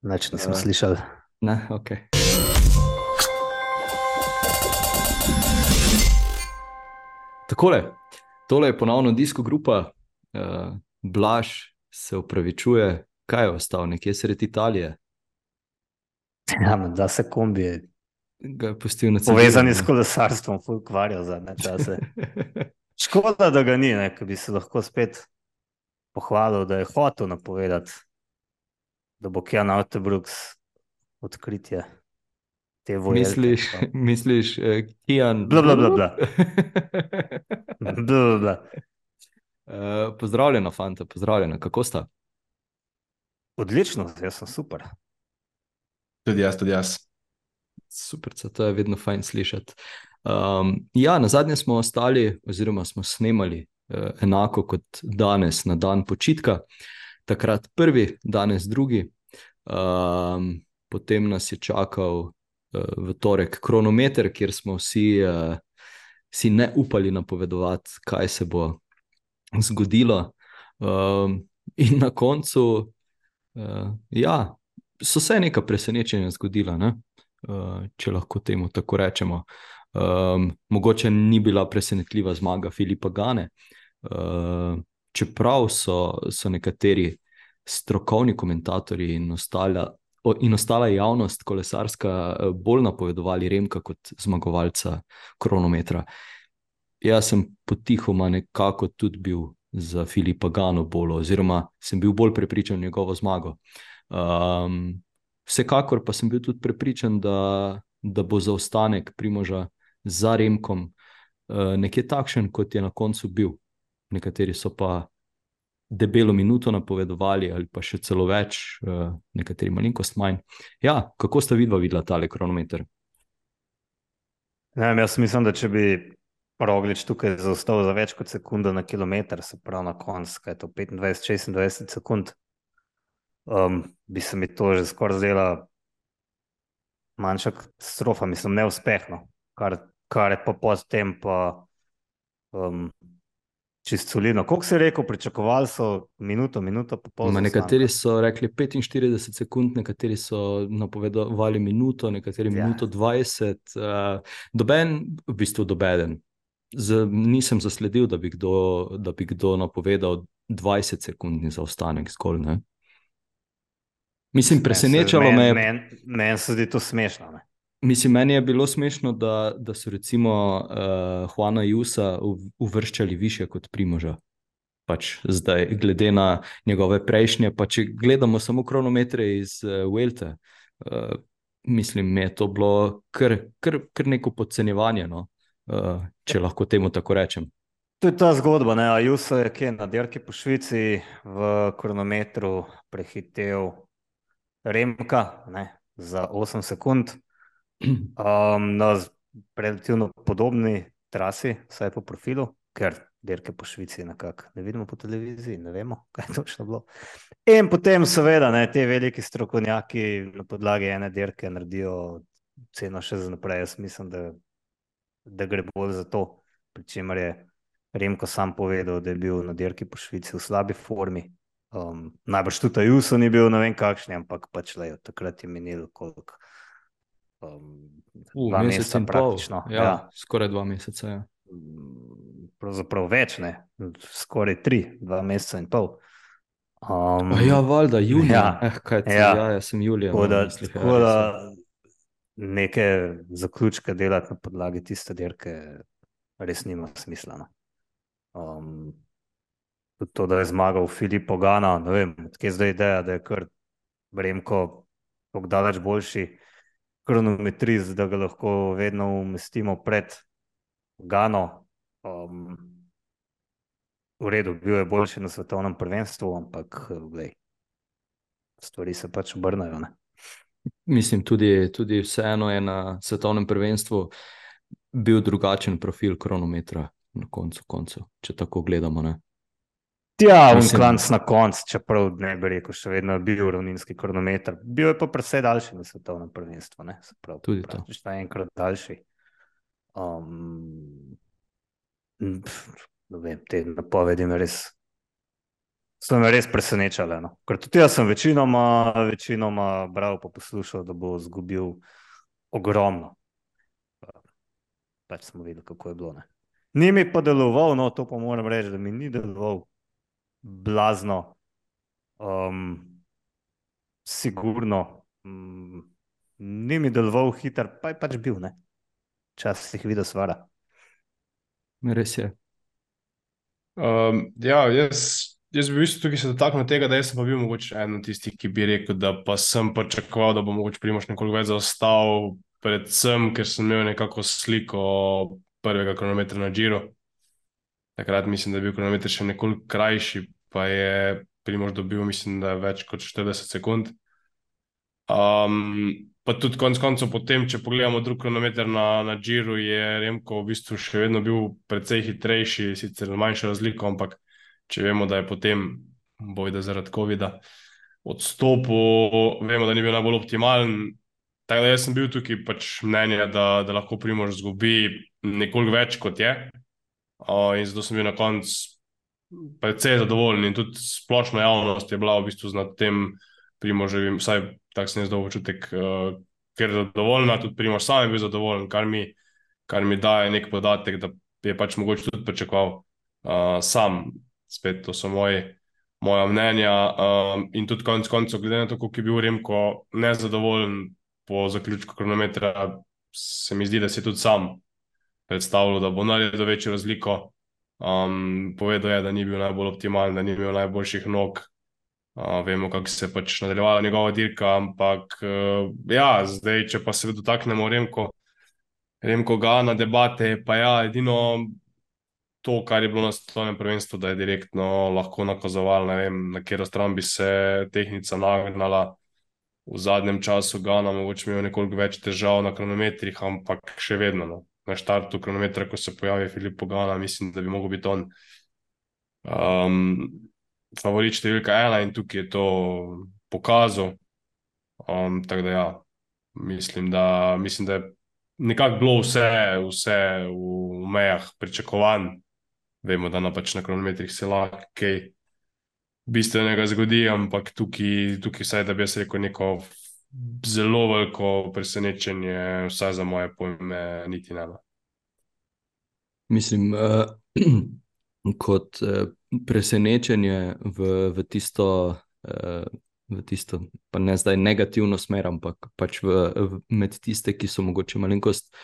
Nič nisem Uh, slišal. ne, ok. Takole, tole je ponovno disko grupa. Blaž se upravičuje, kaj je ostal, nekje sredi Italije. Ja, da se kombi Ga je pustil na cedilu. povezani s kolesarstvom ukvarjal zadnje čase. Škoda, da ga ni, ne, ker bi se lahko spet pohvalil, da je hotel napovedati, da bo Kjan Autobrooks odkritje te vojelke. Misliš, Kijan? Bla, bla, bla, bla. Bla, bla, bla. Pozdravljena, fanta, pozdravljena. Kako sta? Odlično, jaz sem super. Tudi jaz, tudi jaz. Super, to je vedno fajn slišati. Ja, na zadnje smo ostali, oziroma smo snemali enako kot danes, na dan počitka. Takrat prvi, danes drugi. Potem nas je čakal v torek kronometer, kjer smo vsi ne upali napovedovati, kaj se bo zgodilo. In na koncu, ja, so se neka presenečenja zgodila, ne? Če lahko temu tako rečemo. Mogoče ni bila presenetljiva zmaga Filipa Gane, čeprav so nekateri strokovni komentatorji in ostala javnost kolesarska bolj napovedovali Remka kot zmagovalca kronometra. Jaz sem potihoma nekako tudi bil za Filipa Gano bolj, oziroma sem bil bolj prepričan v njegovo zmago. Vsekakor pa sem bil tudi prepričan, da bo zaostanek Primoža za Remkom nekje takšen, kot je na koncu bil. Nekateri so pa debelo minuto napovedovali, ali pa še celo več, nekateri malenkost manj. Ja, kako sta videla tale kronometer? Ne vem, jaz mislim, da če bi Roglič tukaj zaostal za več kot sekundo na kilometr, se pravi na konc, kaj je to 25-26 sekund, bi se mi to že skoraj zdela manjša katastrofa, mislim, neuspehno, kar je pa potem pa čist solidno. Koliko si rekel, pričakovali so minuto pa pol zaostanka? Nekateri so rekli 45 sekund, nekateri so napovedovali minuto, nekateri minuto 20. V bistvu dobeden. Nisem zasledil, da bi kdo napovedal 20 sekundni zaostanek zgolj, ne? Mislim, presenečalo me je. Meni se zdi to smešno, ne? Mislim, meni je bilo smešno, da so recimo Juana Jusa uvrščali više kot Primoža. Pač zdaj, glede na njegove prejšnje, pa če gledamo samo kronometre iz Vuelte, mislim, mi je to bilo kar neko podcenjevanje, no? Če lahko temu tako rečem. To je ta zgodba, ne? Ayuso je kje na dirki po Švici v kronometru prehitel Remka, ne? Za 8 sekund. Na relativno podobni trasi, vsaj po profilu, ker dirke po Švici nekako ne vidimo po televiziji, ne vemo, kaj je točno bilo. In potem seveda, ne, te veliki strokovnjaki na podlagi ene dirke naredijo ceno še za naprej. Jaz mislim, da gre bolj za to, pri čemer je Remko sam povedal, da je bil na dirki po Švici v slabi formi. Najbrž tudi Ayuso ni bil, ne vem kakšni, ampak pač lejo, takrat je minilo koliko. 2 meseca praktično. Ja, skoraj 2 meseca, ja. Pravzaprav več, ne, skoraj 3, 2 meseca in pol. Ja, valjda, junija. Ja, jaz sem julija. Tako da neke zaključke delati na podlagi tiste dirke res nima smisla, no. Tudi to, da je zmagal Filippo Ganna, ne vem, odkje zdaj ideja, da je kar Remko tako daleč boljši kronometrist, da ga lahko vedno umestimo pred Gano. V redu, bil je boljši na svetovnem prvenstvu, ampak glej, stvari se pač obrnajo, ne. Mislim, tudi vseeno je na svetovnem prvenstvu bil drugačen profil kronometra na koncu, če tako gledamo, ne. Ja, klanc na konc, čeprav ne bi rekel, še vedno je bil ravninski kronometer. Bil je pa precej daljši na svetovnem prvenstvu, ne. Se pravi, tudi to. Praktično enkrat daljši. Ne vem, te napovedi me res so me res presenečale. No. Ker tudi jaz sem večinoma bral pa poslušal, da bo izgubil ogromno. Pač smo videli, kako je bilo. Ne. Ni mi pa deloval, no to pa moram reči, da mi ni deloval blazno, sigurno, ni mi deloval hiter, pa je pač bil, ne. Včasih videl svara. Res je. Ja, jaz bi v bistvu tukaj se dotaknil tega, da jaz sem pa bil mogoče eden od tistih, ki bi rekel, da pa sem pričakoval, da bo mogoče Primož nekoliko več zaostal, predvsem, ker sem imel nekako sliko prvega kronometra na Giro. Takrat mislim, da je bil kronometer še nekoliko krajši, pa je Primož dobil, mislim, da več kot 40 sekund. Pa tudi konec koncev potem, če pogledamo drug kronometer na Giru, je Remko v bistvu še vedno bil precej hitrejši, sicer manjša razlika, ampak če vemo, da je potem, bojda zaradi covida, odstopil, vemo, da ni bil najbolj optimalen. Tako da jaz sem bil tukaj pač mnenja, da lahko Primož izgubi nekoliko več kot je. In zato sem bil na koncu precej zadovoljen in tudi splošna javnost je bila v bistvu nad tem Primoževim, vsaj tak sem jaz dobil občutek, ker je zadovoljna, tudi Primož sam je bil zadovoljen, kar mi daje nek podatek, da je pač mogoče tudi pričakoval sam. Spet to so moja mnenja, in tudi konec koncev, glede na to, koliko je bil Remko nezadovoljen po zaključku kronometra, se mi zdi, da si tudi sam predstavljal, da bo naredil večjo razliko. Povedal je, da ni bil najbolj optimalen, da ni imel najboljših nog. Vemo, kako se je pač nadaljevala njegova dirka, ampak ja, zdaj, če pa se dotaknemo Remko Gana debate, pa ja, edino to, kar je bilo na svetovnem prvenstvu, da je direktno lahko nakazoval, ne vem, na katero stran bi se tehnica nagnala. V zadnjem času Gana mogoče imel nekoliko več težav na kronometrih, ampak še vedno, no. Na štartu kronometra, ko se pojavi Filippo Ganna, mislim, da bi mogel biti on favorit številka 1 in tukaj je to pokazal. Tako da ja, mislim, da je nekako bilo vse v mejah pričakovanj. Vemo, da pač na kronometrih se lahko kaj bistvenega zgodi, ampak tukaj vsaj, da bi jaz rekel, neko zelo veliko presenečenje, vsaj za moje pojme, niti ne. Mislim, kot presenečenje v tisto, pa ne zdaj negativno smer, ampak pač med tiste, ki so mogoče malenkost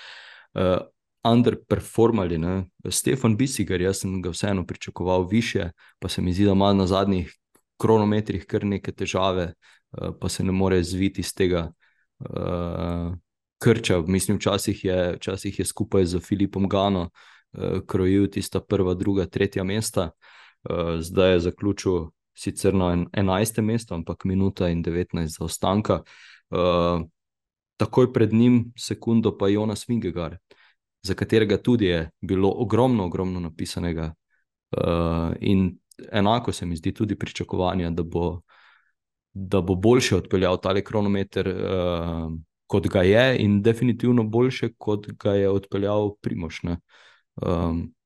underperformali, ne. Stefan Bisiger, jaz sem ga vseeno pričakoval više, pa se mi zdi, da ima na zadnjih kronometrih kar neke težave, pa se ne more zviti iz tega krča. Mislim, včasih je skupaj z Filipom Gano krojil tista prva, druga, tretja mesta. Zdaj je zaključil sicer na 11. mesto, ampak minuta in 19 zaostanka. Takoj pred njim sekundo pa Jonas Vingegaard, za katerega tudi je bilo ogromno napisanega, in enako se mi zdi tudi pričakovanja, da bo boljše odpeljal tale kronometer, kot ga je, in definitivno boljše, kot ga je odpeljal Primož, ne.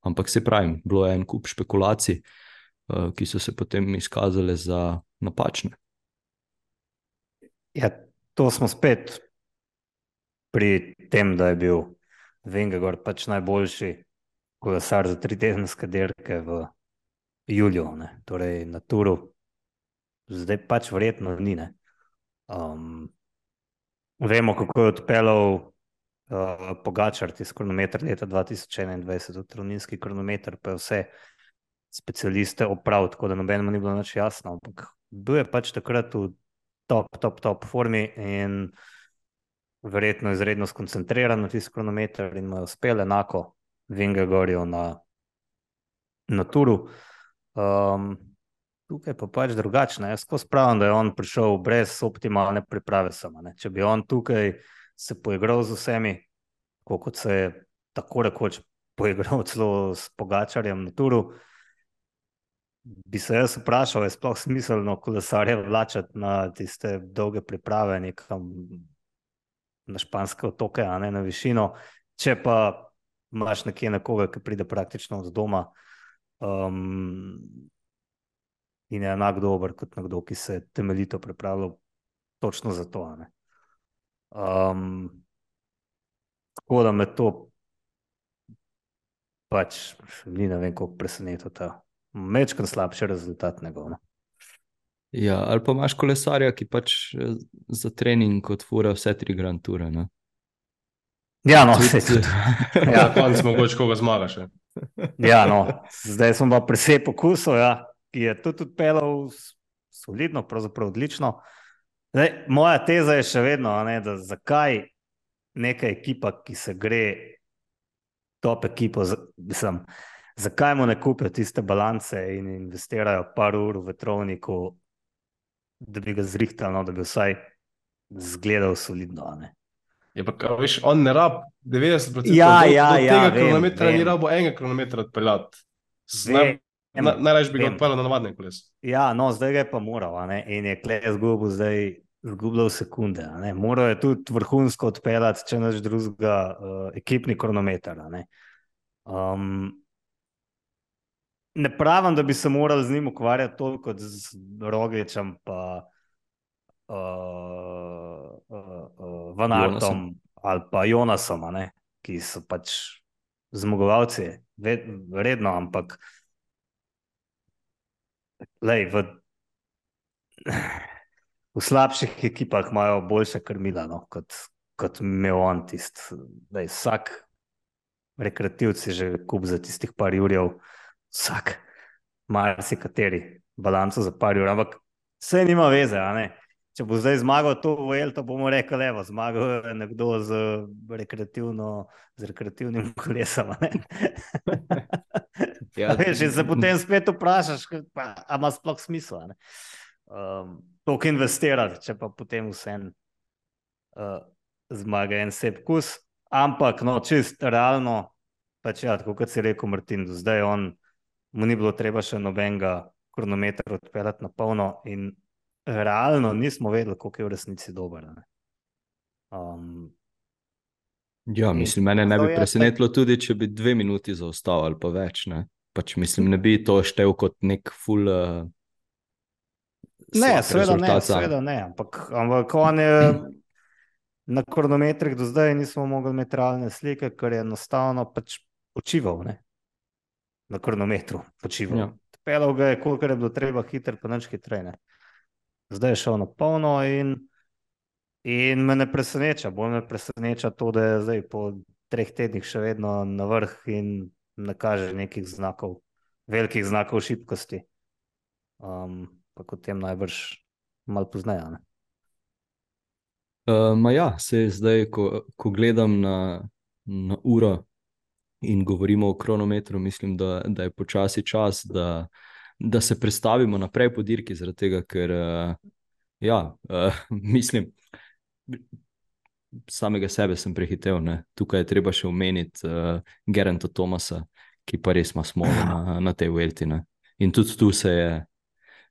Ampak se pravim, bilo je en kup špekulacij, ki so se potem izkazale za napačne. Ja, to smo spet pri tem, da je bil Vingegaard pač najboljši kolesar za 3-tedenske dirke v juliju, ne. Torej na Touru zdaj pač verjetno ni, ne. Vemo, kako je odpeljal Pogačar tisti kronometer leta 2021, tudi ravninski kronometer, pa je vse specialiste opravil, tako da nobenemu ni bilo nič jasno, ampak bil je pač takrat v top formi in verjetno izredno skoncentriran na tisti kronometer in mu je uspel enako Vingegaardu na Touru. Tukaj pa pač drugačno. Jaz skozi pravim, da je on prišel brez optimalne priprave sama, ne. Če bi on tukaj se poigral z vsemi, kot se je tako rekoč poigral celo s Pogačarjem na Touru, bi se jaz vprašal, je sploh smiselno kolesarje vlačati na tiste dolge priprave nekam na španske otoke, a ne na višino, če pa imaš nekje nekoga, ki pride praktično od doma, in je enak dober kot nekdo, ki se je temeljito pripravljal točno za to. Tako da me to pač ni ne vem, koliko presenetilo ta mečkan slabši rezultat njegov. Ja, ali pa imaš kolesarja, ki pač za trening odfura vse 3 Grand Toure. Ne? Ja, no, Tudi- saj tudi. Ja, na koncu mogoče koga zmagaš. Ja, no, zdaj smo pa presej pokusov, ja, ki je tudi odpeljal solidno, pravzaprav odlično. Zdaj, moja teza je še vedno, da zakaj neka ekipa, ki se gre top ekipo, zakaj mu ne kupijo tiste balance in investirajo par ur v vetrovniku, da bi ga zrihtali, no, da bi vsaj zgledal solidno. Je pa, veš, on ne rab 90% Ja, do ja, tega vem, kronometra vem. ni rabo enega kronometra odpeljati. Vem, Najraje bi ga vem. odpeljal na navadne koles. Ja, no, zdaj ga je pa moral, in je kle izgubljal sekunde. Moral je tudi vrhunsko odpeljati, če naš drugega ekipni kronometer. Ne pravim, da bi se morali z njim ukvarjati toliko kot z Rogličem pa Van Aertom ali pa Jonasom, ki so pač zmagovalci, redno, ampak lej, v slabših ekipah imajo boljše krmila, no, kot imel on tisti. Vsak rekreativc je že kup za tistih par jurjev, vsak, marsikateri balanco za par jur, ampak vse nima veze, Če bo zdaj zmagal to Vuelto, bomo rekli, evo, zmagal je nekdo z rekreativnim kolesom, Ja, veš, in se potem spet vprašaš, a ima sploh smisla, toliko investirati, če pa potem vsem zmaga en sep kus, ampak no, čist realno, pač ja, tako kot si rekel Martin, do zdaj mu ni bilo treba še nobenega kronometra odpeljati na polno in realno nismo vedeli, koliko je v resnici dober. Ja, mislim, mene ne bi presenetilo tudi, če bi 2 minuti zaostal ali pa več. Ne? Pač mislim, ne bi to štel kot nek full Ne, rezultat. seveda ne, ampak on je na kronometrih do zdaj nismo mogli imeti realne slike, ker je enostavno pač počival, na kronometru počival. Ja. Pelal ga je, koliko je bilo treba hiter, pa nič hitreje. Zdaj je šel na polno in me ne preseneča. Bolj me preseneča to, da je zdaj po 3 tednih še vedno na vrh in ne kaže nekih znakov, velikih znakov šibkosti. Pa kot tem najbrž malo pozneje. Ja, se zdaj, ko gledam na uro in govorimo o kronometru, mislim, da je počasi čas, da se prestavimo naprej po dirki, zaradi tega, ker mislim, samega sebe sem prehitev. Ne? Tukaj je treba še omeniti Geranta Thomasa, ki pa res ima smolo na tej Vuelti. In tudi tu se je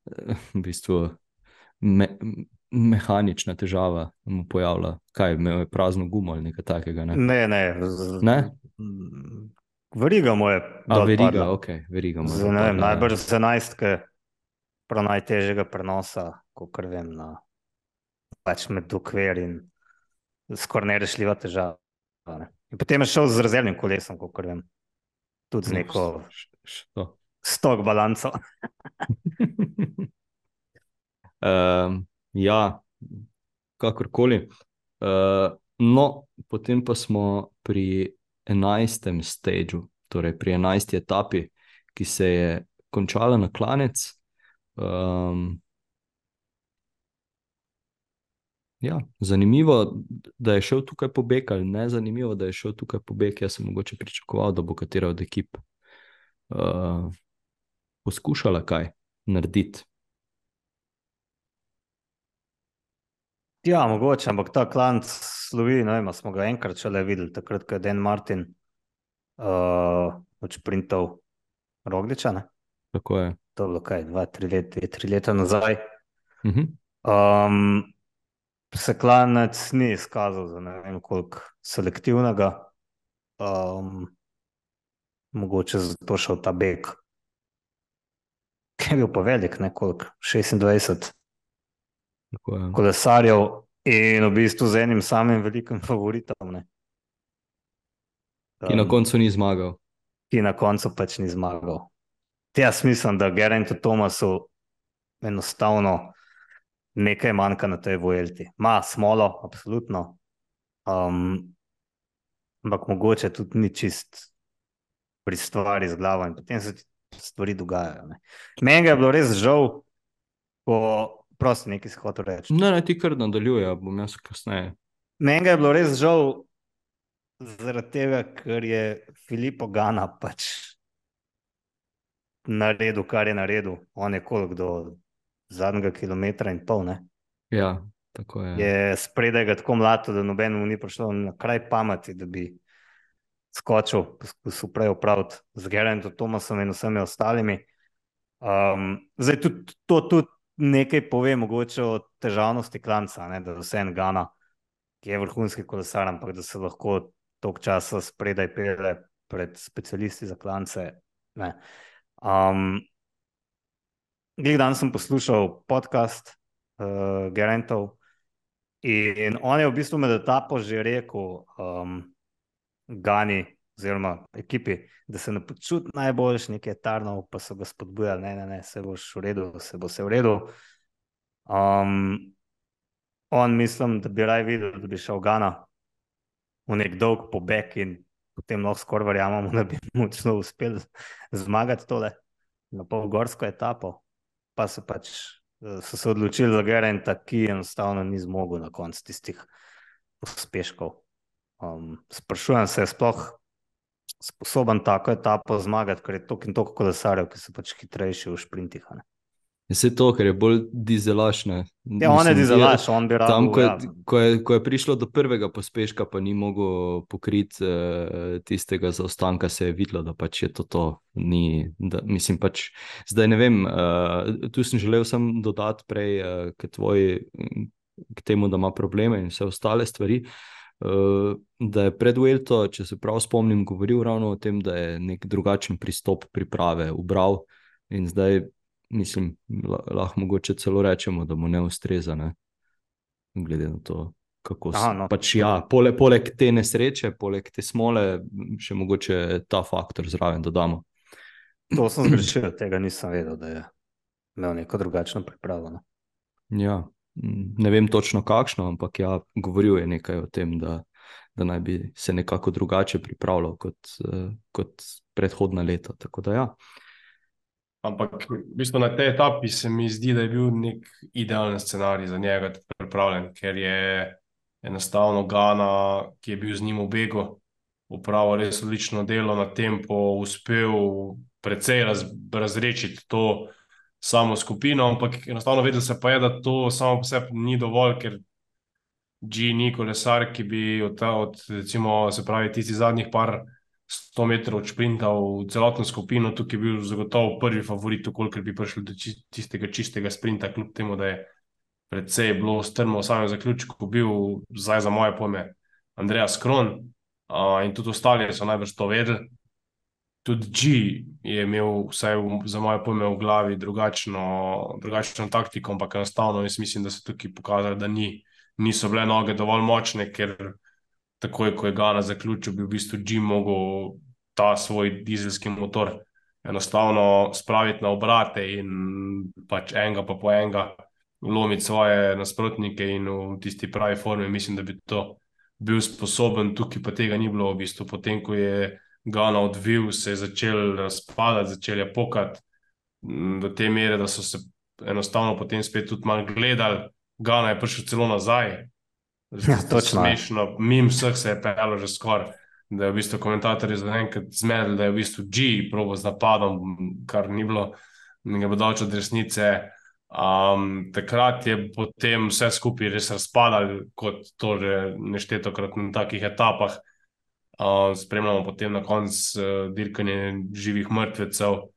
v bistvu mehanična težava mu pojavila. Kaj, imel je prazno gumo ali nekaj takega? Ne? Ne? Veriga mu je dol padla. Veriga mu je dol padla. Najbrž z 11, prav najtežjega prenosa, kakor vem, pač med dokver in skoraj nerešljiva težava. In potem je šel z rezervnim kolesom, kakor vem. Tudi z neko stok balanco. Ja, kakorkoli. No, potem pa smo pri 11. stageu, torej pri 11. etapi, ki se je končala na klanec. Ja, zanimivo, da je šel tukaj pobeg, ali ne zanimivo, da je šel tukaj pobeg. Jaz sem mogoče pričakoval, da bo katera od ekip poskušala kaj narediti. Ja, mogoče, ampak ta klanc slovi, ne vem, smo ga enkrat šele videli, takrat, ko je Dan Martin odšprintal Rogliča, ne? Tako je. To je bilo kaj, 2-3 leta nazaj. Se klanec ni izkazal za ne vem koliko selektivnega, mogoče zato šel ta beg. je bil pa velik, nekoliko 26 Tako je. kolesarjev in v bistvu z enim samim velikim favoritom, ne. Ki na koncu ni zmagal. Ki na koncu pač ni zmagal. Jaz mislim, da Gerantu Thomasu enostavno nekaj manjka na tej Vuelti. Ma smolo, absolutno. Ampak mogoče tudi ni čist pri stvari z glavo in potem se stvari dogajajo. Ne. Meni ga je bilo res žal, prosti nekaj si hotel reči. Ne, ti kar nadaljuje, bom jaz kasneje. Meni ga je bilo res žal zaradi tega, ker je Filippo Ganna pač naredil, kar je naredil. On je koliko do zadnjega kilometra in pol, ne? Ja, tako je. Je spredaj ga tako mlato, da nobenemu ni prišlo na kraj pameti, da bi skočil, poskusil prej opraviti z Gerantom Thomasom in vsemi ostalimi. Zdaj tudi to tudi nekaj pove mogoče o težavnosti klanca, ne? Da vse en Ganna, ki je vrhunski kolesar, ampak da se lahko toliko časa spredaj pele pred specialisti za klance. Ne. Glih dan sem poslušal podcast Gerantov in on je v bistvu med etapo že rekel Gani oziroma ekipi, da se ne počuti najboljš, nekaj etarnov, pa so ga spodbujali, ne, se boš v redu, se bo se v redu. On mislim, da bi raj videl, da bi šel Ganna v nek dolg pobeg in potem lahko skoraj verjamemo, da bi močno uspel zmagati tole na polgorsko etapo, pa so se odločili za Geranta, ki enostavno ni zmogel na koncu tistih uspeškov. Sprašujem se, je sploh sposoben tako etapo zmagati, ker je toliko in toliko kolesarjev, ki so pač hitrejši v šprintih. Vse to, ker je bolj dizelaš, ne. Ja, on je dizelaš, on bi Tam, rabil, ko je prišlo do prvega pospeška, pa ni mogel pokriti tistega zaostanka, se je videlo, da pač je to ni, da, mislim pač, zdaj ne vem, tu sem želel sem dodati prej k temu, da ima probleme in vse ostale stvari, da je pred Vuelto, če se prav spomnim, govoril ravno o tem, da je nek drugačen pristop priprave ubral in zdaj, mislim, lahko mogoče celo rečemo, da mu ne ustreza, ne? Glede na to, kako se pač poleg te nesreče, poleg te smole, še mogoče ta faktor zraven dodamo. To sem zgrešil, tega nisem vedel, da je imel neko drugačno pripravo. Ne? Ja, ne vem točno kakšno, ampak ja, govoril je nekaj o tem, da naj bi se nekako drugače pripravljal kot predhodna leta, tako da ja. Ampak v bistvu na tej etapi se mi zdi, da je bil nek idealen scenarij za njega pripravljen, ker je enostavno Ganna, ki je bil z njim v begu, opravil res odlično delo na tempo, uspel precej razrešiti to samo skupino, ampak enostavno vedel se pa je, da to samo po sebi ni dovolj, ker G ni kolesar, ki bi od recimo, se pravi, tisti zadnjih par 100 metrov odšprintal celotno skupino, tukaj je bil zagotovo prvi favorit, kolikor bi prišel do tistega čistega sprinta, kljub temu, da je precej bilo strmo v samem zaključku, bil zdaj za moje pojme Andreas Kron in tudi ostali so najbrž to vedeli. Tudi G je imel vsaj za moje pojme v glavi drugačno taktiko, ampak enostavno jaz mislim, da so tukaj pokazali, da niso bile noge dovolj močne, ker takoj, ko je Ganna zaključil, bi v bistvu G mogel ta svoj dizelski motor enostavno spraviti na obrate in pač enega pa po enega lomiti svoje nasprotnike in v tisti pravi formi mislim, da bi to bil sposoben, tukaj pa tega ni bilo v bistvu. Potem, ko je Ganna odvil, se je začel razpadati, začel je pokati do te mere, da so se enostavno potem spet tudi malo gledali. Ganna je prišel celo nazaj. Ja, točno. Smešno, mimo vseh se je pelo že skoraj, da je v bistvu komentatorji zaenkrat zmedli, da je v bistvu G probo z napadom, kar ni bilo nekaj daleč od resnice. Takrat je potem vse skupaj res razpadalo, kot to že neštetokrat na takih etapah. Spremljamo potem na koncu dirkanje živih mrtvecev.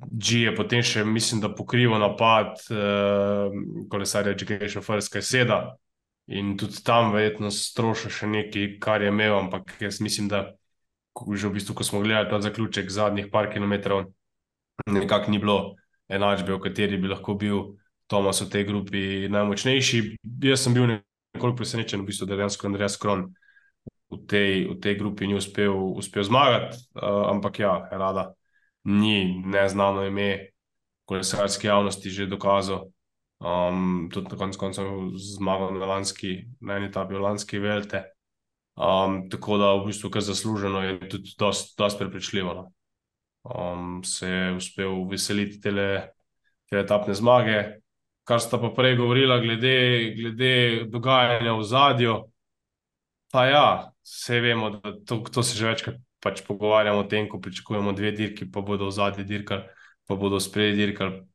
G je potem še, mislim, da pokrival napad kolesarja Education First, kaj seda. In tudi tam verjetno strošil še nekaj, kar je imel, ampak jaz mislim, da že v bistvu, ko smo gledali ta zaključek zadnjih par kilometrov, nekako ni bilo enačbe, v kateri bi lahko bil Tomas v tej grupi najmočnejši. Jaz sem bil nekoliko presenečen, v bistvu, da dejansko Andreas Kron v tej grupi ni uspel zmagati, ampak ja, Rada ni neznano ime kolesarske javnosti že dokazal. Tudi na koncu koncev zmagal na eni etapi v lanski Velte. Tako da v bistvu kar zasluženo je tudi dosti prepričljivo. No. Se je uspel veseliti te etapne zmage. Kar sta pa prej govorila glede dogajanja v zadju, pa ja, vse vemo, da to se že večkrat pač pogovarjamo o tem, ko pričakujemo 2 dirki, pa bodo v zadnji dirkali, pa bodo spredi dirkali,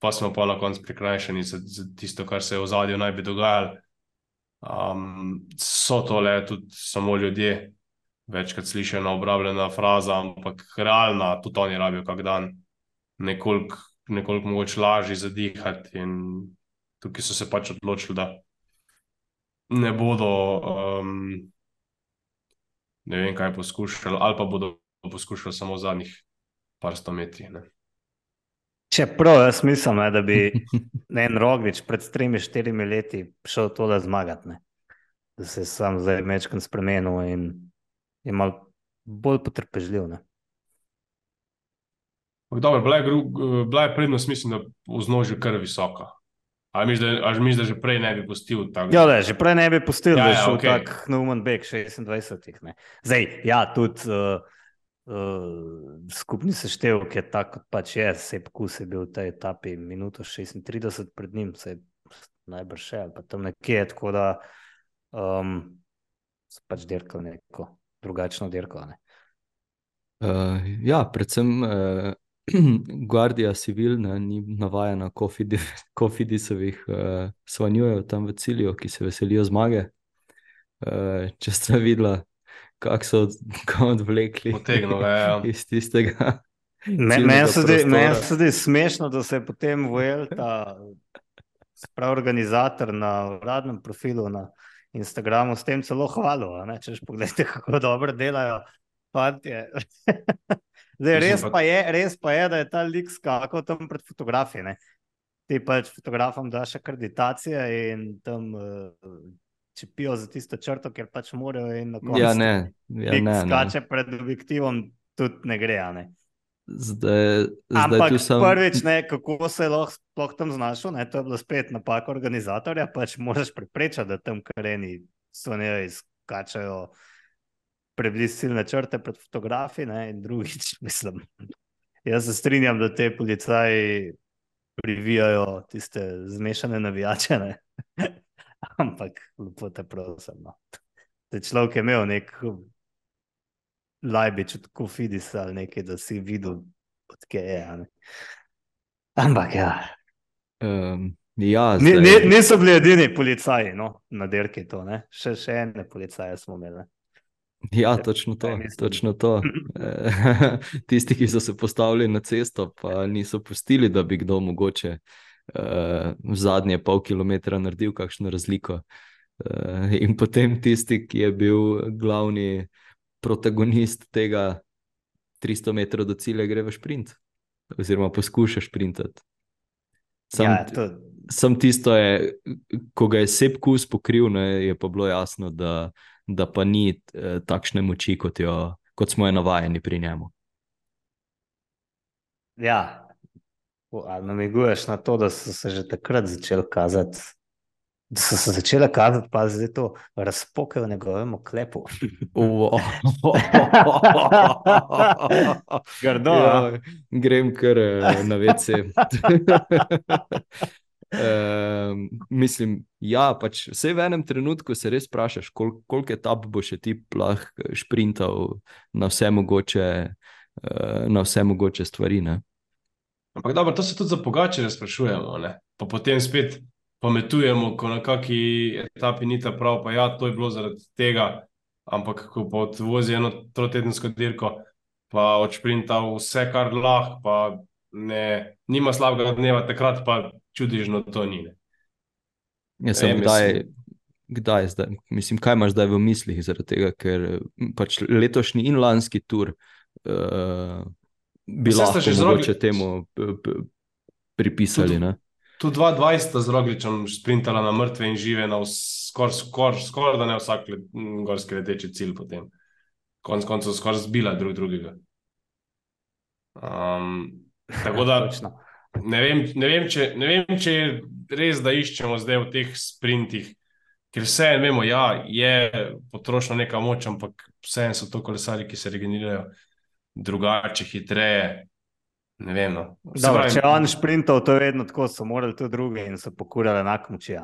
pa smo pa na koncu prikrajšani za tisto, kar se je v zadju naj bi dogajalo. So tole tudi samo ljudje, večkrat slišena obrabljena fraza, ampak realna, tudi oni rabijo kak dan nekoliko mogoče lažje zadihati in tukaj so se pač odločili, da ne bodo ne vem kaj poskušali, ali pa bodo poskušali samo v zadnjih par 100 metrih. Ne. Čeprav jaz mislim, da bi en Roglič pred 3-4 leti šel tole zmagati, ne. Da se je sam zdaj mečkam spremenil in je malo bolj potrpežljiv. Ne. Dobro, bila je prednost, mislim, da v znožju kar visoka. Ali misliš, da že prej ne bi pustil tako? Ja, že prej ne bi pustil, da je šel okay. tak neumen beg 26. Ne. Zdaj, ja, tudi skupni seštevek je tak, kot pač je. Sepp Kuss je bil v tej etapi minuto 36 pred njim, se je najbrž še, ali pa tam nekje, tako da so pač dirkali neko drugačno dirko. Ne. Ja, predvsem Guardia Civil ni navajena Cofidisovih svanjujev tam v cilju, ki se veselijo zmage. Če ste videla, kako so odvlekli iz tistega. Meni se zdi smešno, da se je potem Vuelta, prav organizator na uradnem profilu na Instagramu s tem celo hvalil. Češ pogledajte, kako dobro delajo fantje. Zdaj, res pa je, da je ta lik skakal tam pred fotografi. Ne? Ti pač fotografom daš akreditacije in tam čepijo za tisto črto, ker pač morajo in na koncu skače pred objektivom, tudi ne gre. Ne? Ampak prvič, ne, kako se je lahko tam znašel, ne, to je bilo spet napaka organizatorja, pač moraš preprečati, da tam kareni sonjejo skačajo preblizu ciljne črte pred fotografi, ne, in drugič, mislim, jaz se strinjam, da te policaji privijajo tiste zmešane navijače, ne, ampak lepo te prosim, no. Te človek je imel nek lajbič od Cofidisa ali nekaj, da si videl, odkje je, ne. Ampak ja. Niso bili edini policaji, no, na dirki to, ne, še ene policaje smo imeli, ne. Ja, točno to. Tisti, ki so se postavili na cesto, pa niso pustili, da bi kdo mogoče v zadnje pol kilometra naredil kakšno razliko. In potem tisti, ki je bil glavni protagonist tega 300 metrov do cilja, gre v šprint. Oziroma poskuša šprintati. Sam tisto je, ko ga je Sepp Kuss pokril, ne, je pa bilo jasno, da pa ni takšne moči, kot smo je navajeni pri njemu. Ja, ali namiguješ na to, da so se že takrat začeli kazati, pa zdaj to razpoke v njegovem oklepu. Grdo, ja, grem kar na WC. Mislim, ja, pač vse v enem trenutku se res sprašaš, koliko etap bo še ti šprintal na vse mogoče stvari, ne? Ampak dobro, to se tudi za Pogačarja sprašujemo, ne? Pa potem spet pametujemo, ko na kaki etapi ni ta prav, pa ja, to je bilo zaradi tega, ampak ko pa odvozi eno trotedensko dirko, pa odšprinta vse, kar lahko, pa nima slabega dneva, takrat pa čudežno to ni. Jaz sem kdaj zdaj? Mislim, kaj imaš zdaj v mislih zaradi tega, ker pač letošnji in lanski tur bi lahko mogoče temu pripisali. Ne? Tu 2:20 z Rogličem sprintala na mrtve in žive, na skoraj da ne vsak gorski leteči cilj potem. Konec koncev skoraj zbila drugega. Tako da Točno. ne vem, če je res, da iščemo zdaj v teh sprintih, ker vse vemo, ja, je potrošna neka moč, ampak vseeno so to kolesarji, ki se regenerirajo drugače, hitreje. Ne vem. No. Se Dobro, pravi, če on šprintal, to je vedno tako, so morali tudi drugi in so pokurali enako moči.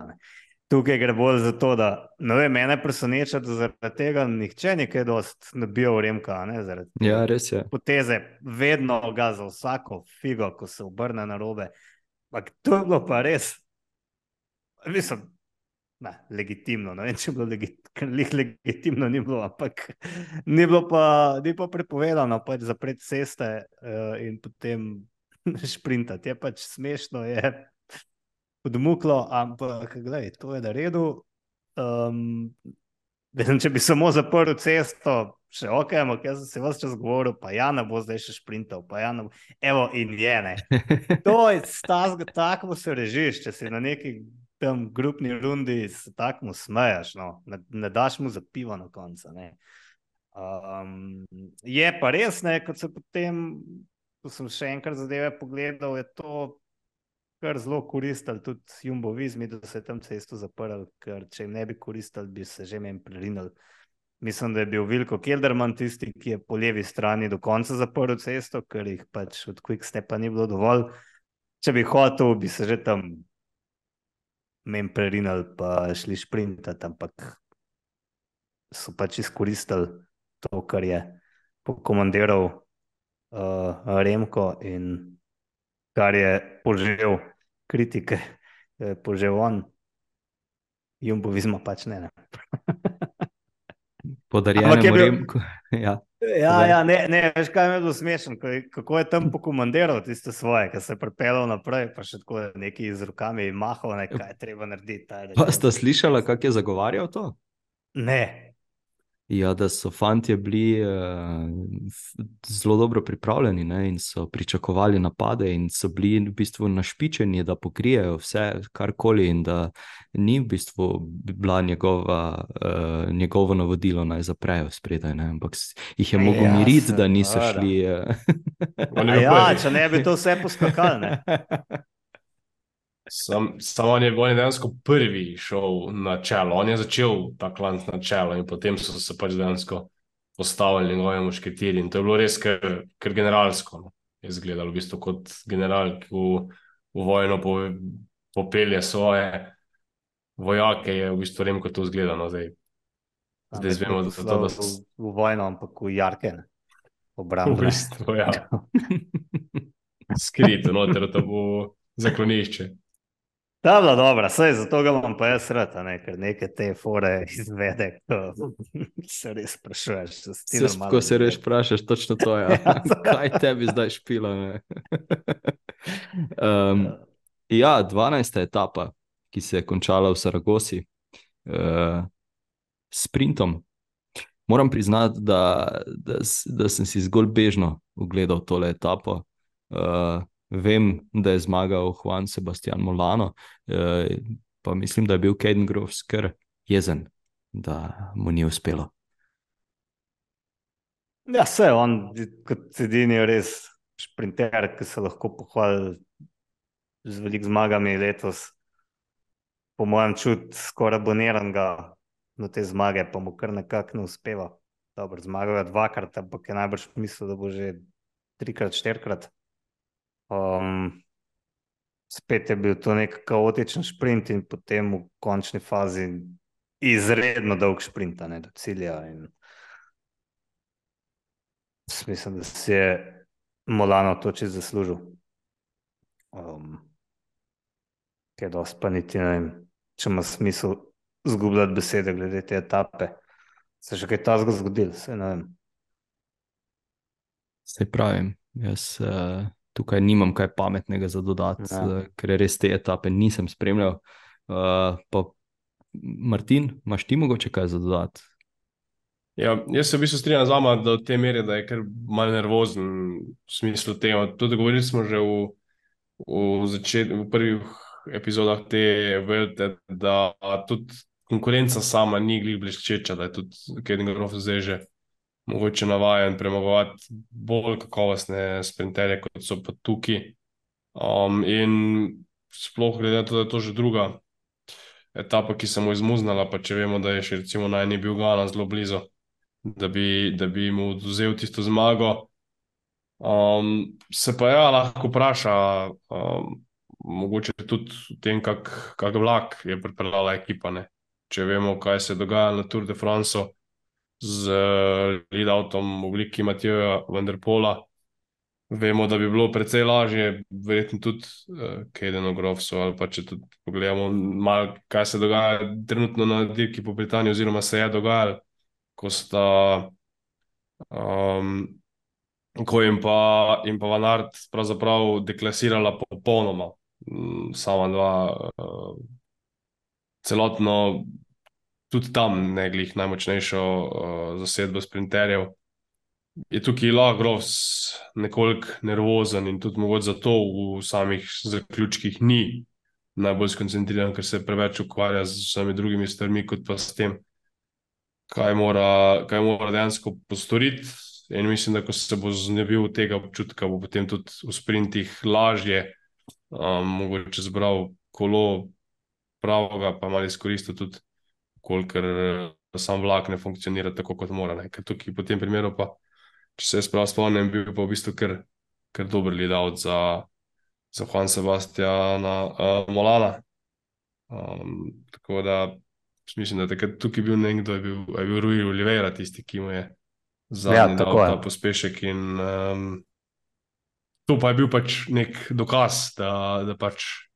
Tukaj gre bolj za to, da ne vem, mene preseneča, da zaradi tega nihče nekaj dost ne bi v Remka, ne, zaradi Ja, res je. poteze vedno ga za vsako figo, ko se obrne na robe. Ampak to je bilo pa res, mislim, ne, legitimno, ne vem, če je bilo legitimno, ni bilo, ampak ni pa prepovedano pač zapreti ceste in potem šprintati. Je pač smešno, je podmuklo, ampak gledaj, to je na redu. Če bi samo zaprl cesto, še ok, ampak jaz sem se vse čas govoril, pa ja ne bo zdaj še šprintal, pa ja ne bo. Evo, in je, ne. To je tako se režiš, če si na neki tam grupni rundi se tako smeješ, no. Ne daš mu za pivo na koncu, ne. Je pa res, ne, kot se potem, ko sem še enkrat zadeve pogledal, je to kar zelo koristili tudi Jumbo Vismi, da se je tam cesto zaprl, ker če jim ne bi koristili, bi se že meni prerinili. Mislim, da je bil Vilko Kelderman tisti, ki je po levi strani do konca zaprl cesto, ker jih pač od Quickstepa ni bilo dovolj. Če bi hotel, bi se že tam meni prerinili pa šli šprintati, ampak so pač izkoristili to, kar je pokomandiral Remko in kar je požel kritike, požel on, Jumbo Visma pač ne. Podarjenemu Remku. Ja, ne, veš kaj mi je bilo smešno, kako je tam pokomandiral tiste svoje, ki se je pripeljal naprej, pa še tako neki z rokami mahal, kaj je treba narediti. Pa sta slišala, kako je zagovarjal to? Ne. Ja, da so fantje bili zelo dobro pripravljeni, ne, in so pričakovali napade in so bili v bistvu našpičeni, da pokrijejo vse karkoli in da ni v bistvu bila njegovo navodilo naj zaprejo spredaj, ne, ampak jih je mogel miriti, da niso šli. Če ne bi to vse poskakali, ne. Samo on je dejansko prvi šel na čelo, on je začel ta klanc na čelo in potem so se pač dejansko postavili njegovi mušketiri in to je bilo res kar generalsko. No. Je izgledalo v bistvu kot general, ki v vojno popelje svoje vojake, je v bistvu Remko to izgledano. Zdaj zvemo, da so to v vojno, ampak v jarke, obrambe. V bistvu, ja. Skrito noter, to bo zaklonišče. Ta bila dobra, saj zato ga imam pa jaz rad, ker neke te fore izvede, ko se res sprašuješ. Ko se res sprašuješ, točno to je. Kaj tebi zdaj špila? Ja, 12. etapa, ki se je končala v Saragosi s sprintom. Moram priznati, da sem si zgolj bežno ogledal tole etapo. Vem, da je zmagal Juan Sebastian Molano, pa mislim, da je bil Caden Groves kar jezen, da mu ni uspelo. Ja, se on kot edini res šprinter, ki se lahko pohvali z veliko zmagami letos, po mojem čut skoraj aboniranega na te zmage, pa mu kar nekako ne uspeva. Dobro, zmagal je 2-krat, ampak je najbrž mislil, da bo že 3-krat, 4-krat. Spet je bil to nek kaotičen šprint in potem v končni fazi izredno dolg šprint do cilja in mislim, da si je Molano to čisto zaslužil. Kaj dosti pa niti ne vem, če ima smisel zgubljati besede glede te etape. Se še kaj tazga zgodil, se ne vem. Saj pravim, jaz tukaj nimam kaj pametnega za dodati, ker res te etape nisem spremljal. Pa Martin, imaš ti mogoče kaj za dodati? Ja, jaz se v bistvu strinjam z vama do te mere, da je kar malo nervozen v smislu tega. Tudi govorili smo že v prvih epizodah te Velte, da tudi konkurenca sama ni glih bleščeča, da je tudi Kevin Groff zdaj že mogoče navajen premagovati bolj kakovostne sprinterje, kot so pa tukaj. In sploh glede na to, da je to že druga etapa, ki se mu je izmuznala, pa če vemo, da je še recimo najni bil Gana zelo blizu, da bi mu vzel tisto zmago. Se pa ja, lahko vpraša, mogoče tudi v tem, kak vlak je pripeljala ekipa, ne. Če vemo, kaj se dogaja na Tour de France z lead-outom v obliki Mathieuja van der Pola, vemo, da bi bilo precej lažje, verjetno tudi Cadenu Groffsu, ali pa če tudi pogledamo malo, kaj se dogaja trenutno na dirki po Britaniji, oziroma se je dogajalo, ko sta ko in pa Van Aert pravzaprav deklasirala popolnoma sama dva celotno, tudi tam ne glih najmočnejšo zasedbo sprinterjev. Je tukaj lahko Groves nekoliko nervozen in tudi mogoče zato v samih zaključkih ni najbolj skoncentriran, ker se preveč ukvarja z vsemi drugimi stvarmi, kot pa s tem, kaj mora dejansko postoriti. In mislim, da ko se bo znebil tega občutka, bo potem tudi v sprintih lažje mogoče zbral kolo pravega, pa malo izkoristil tudi, kolikor sam vlak ne funkcionira tako, kot mora. Ne? Ker tukaj po tem primeru pa, če se jaz prav spomnim, bil pa v bistvu kar dober lead-out za Juan Sebastiana Molana. Tako da mislim, da takrat tukaj bil nekdo, je bil Rui Oliveira tisti, ki mu je zadnji dal ta pospešek in to pa je bil pač nek dokaz, da pač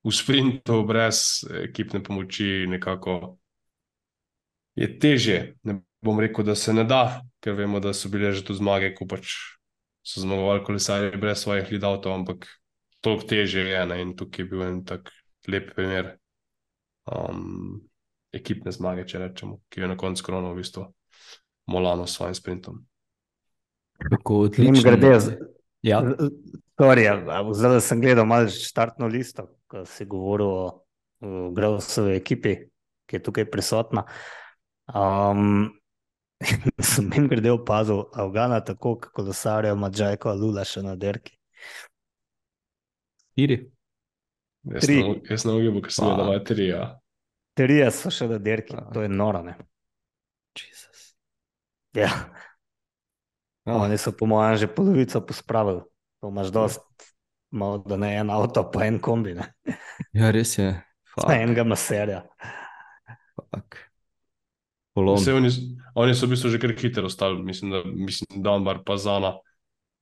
v sprintu brez ekipne pomoči nekako je težje. Ne bom rekel, da se ne da, ker vemo, da so bile že tu zmage, ko pač so zmagovali kolesarji brez svojih lead-outov, ampak toliko težje je, ne? In tukaj je bil en tak lep primer ekipne zmage, če rečemo, ki je na koncu kronal v bistvu Molano s svojim sprintom. Tako odlično. Ja. Zdaj sem gledal malo štartno listo, ko si govoril o Grovsovi ekipi, ki je tukaj prisotna. Sem jim grede opazil Afgana tako, kako kolesarja Madžajko Alula še na dirki. 4? Jaz ne ugibam, ker sem gledal 3, ja. 3 so še na dirki, to je noro, ne? Jesus. Ja. Oni so po mojem že polovico pospravili. To imaš dost, malo da ne en avto, pa en kombi, ne? Ja, res je. Enega maserja. Oni so v bistvu že kar hitro ostali, mislim, Dunbar pa Zana